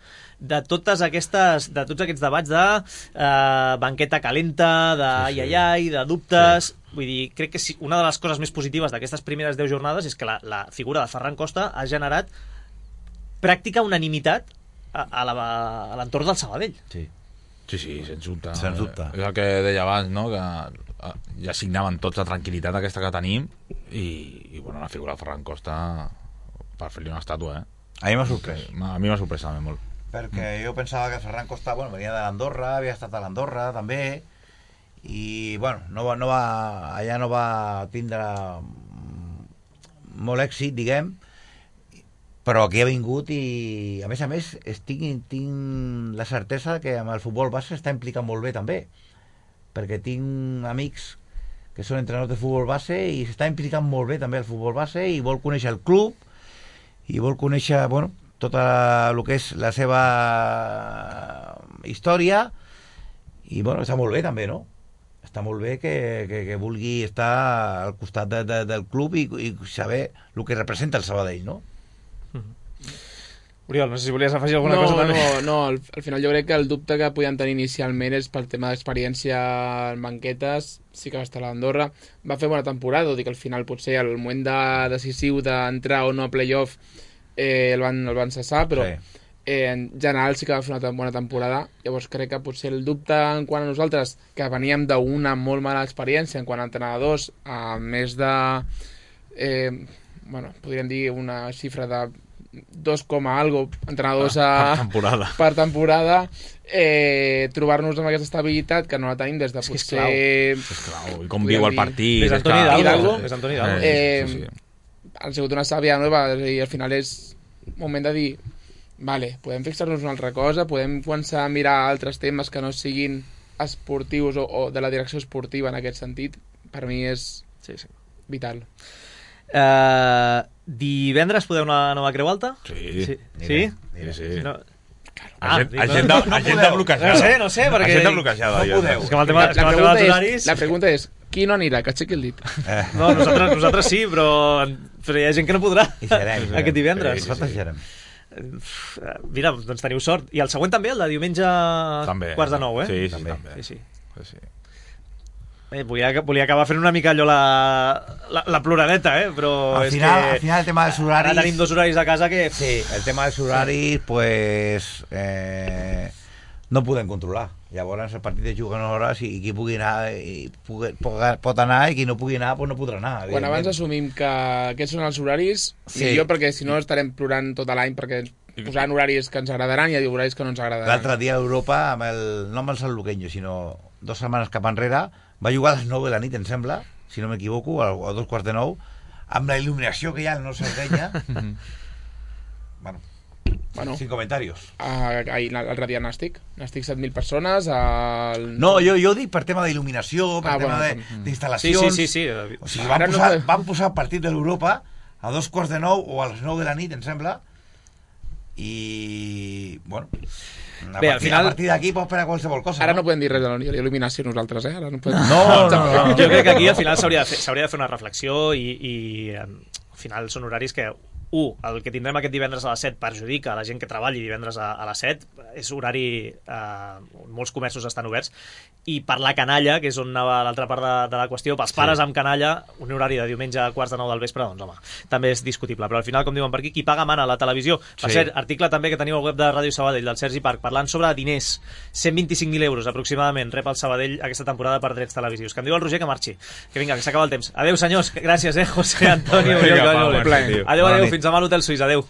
de totes aquestes, de tots aquests debats de eh, banqueta calenta, de ai, ai, ai, de dubtes... Sí. Vull dir, crec que sí, una de les coses més positives d'aquestes primeres deu jornades és que la, la figura de Ferran Costa ha generat pràctica unanimitat a, a l'entorn del Sabadell. Sí, sí, sí, sens dubte. Sens dubte. És el que deia abans, no? Que ja signaven tots la tranquil·litat aquesta que tenim i, i bueno, la figura de Ferran Costa per fer-li una estàtua, eh? A mi m'ha sorprès. A mi m'ha sorprès també molt. Perquè mm. jo pensava que Ferran Costa, bueno, venia de l'Andorra, havia estat a l'Andorra també, i bueno, no va, no va, allà no va tindre molt èxit, diguem, però aquí ha vingut i a més a més estic, tinc la certesa que amb el futbol base està implicat molt bé també, perquè tinc amics que són entrenadors de futbol base i s'està implicant molt bé també el futbol base i vol conèixer el club i vol conèixer, bueno, tot el que és la seva història i bueno, està molt bé també, no? Està molt bé que, que, que vulgui estar al costat de, de, del club i, i saber el que representa el Sabadell, no? Oriol, no sé si volies afegir alguna no, cosa també. No, no, al, al final jo crec que el dubte que podien tenir inicialment és pel tema d'experiència en banquetes, sí que va estar a l'Andorra, va fer bona temporada, tot i que al final potser el moment de, decisiu d'entrar o no a playoff eh, el, van, el van cessar, però sí. eh, en general sí que va fer una bona temporada. Llavors crec que potser el dubte en quant a nosaltres, que veníem d'una molt mala experiència en quant a entrenadors, a més de eh, bueno, podríem dir una xifra de dos coma algo entrenadors a, per temporada, per temporada eh, trobar-nos amb aquesta estabilitat que no la tenim des de és potser és clau, i com viu el partit és Antoni Hidalgo, és Antoni Hidalgo. Eh, sí, sí. Han sigut una sàvia nova i al final és moment de dir vale, podem fixar-nos una altra cosa, podem començar a mirar altres temes que no siguin esportius o, o de la direcció esportiva en aquest sentit. Per mi és sí, sí. vital. Uh, divendres podeu anar a Nova Creu Alta? Sí. Sí? Sí? sí, sí. No. Ah, agenda, agenda, no agenda bloquejada. No sé, no sé, perquè... Agenda bloquejada. No podeu. És que amb el tema, la, és que la, el tema dels és, horaris... la pregunta és, qui no anirà? Que aixequi el dit. Eh. No, nosaltres, nosaltres sí, però, però hi ha gent que no podrà I serem, serem. aquest divendres. Sí, nosaltres serem. Mira, doncs teniu sort. I el següent també, el de diumenge també, quarts de nou, eh? Sí, sí, també. també. Sí, sí. sí, sí. Eh, volia, volia acabar fent una mica allò la, la, la ploradeta, eh? Però al és final, que al final el tema dels horaris... Ara tenim dos horaris a casa que... Sí, el tema dels horaris, pues... Eh, no podem controlar. Llavors el partit es juga en hores i qui pugui anar i pugui, pot anar i qui no pugui anar pues no podrà anar. Quan abans assumim que aquests són els horaris, sí. millor, perquè si no estarem plorant tot l'any perquè ens posaran horaris que ens agradaran i horaris que no ens agradaran. L'altre dia a Europa, amb el, no amb el San Luqueño, sinó dues setmanes cap enrere, va jugar a les nou de la nit, em sembla, si no m'equivoco, a, a dos quarts de nou, amb la il·luminació que hi ha al no Sardenya. bueno, bueno, sin comentarios. Ahir l'altre dia Nàstic, Nàstic set mil persones. El... No, jo, jo dic per tema d'il·luminació, per ah, tema bueno, d'instal·lacions. Sí, sí, sí, sí. O sigui, van posar, no... van posar el partit de l'Europa a dos quarts de nou o a les nou de la nit, em sembla, i bueno... A Bé, partir, final... a partir d'aquí pots esperar qualsevol cosa. Ara no, no podem dir res de l'eliminació nosaltres, eh? Ara no, podem... no, no, no, no. Jo crec que aquí al final s'hauria de, fer, de fer una reflexió i, i al final són horaris que un, el que tindrem aquest divendres a les set perjudica a la gent que treballi divendres a, a les set, és horari eh, molts comerços estan oberts, i per la canalla, que és on anava l'altra part de, de la qüestió, pels pares sí. amb canalla, un horari de diumenge a quarts de nou del vespre, doncs home, també és discutible, però al final, com diuen per aquí, qui paga mana a la televisió. Per sí. cert, article també que teniu al web de Ràdio Sabadell, del Sergi Parc, parlant sobre diners, cent vint-i-cinc mil euros aproximadament rep el Sabadell aquesta temporada per drets televisius. Que em diu el Roger que marxi, que vinga, que s'acaba el temps. Adéu, senyors, gràcies, eh, José Antonio. Adéu, adéu, fins demà a l'Hotel Suís, adéu.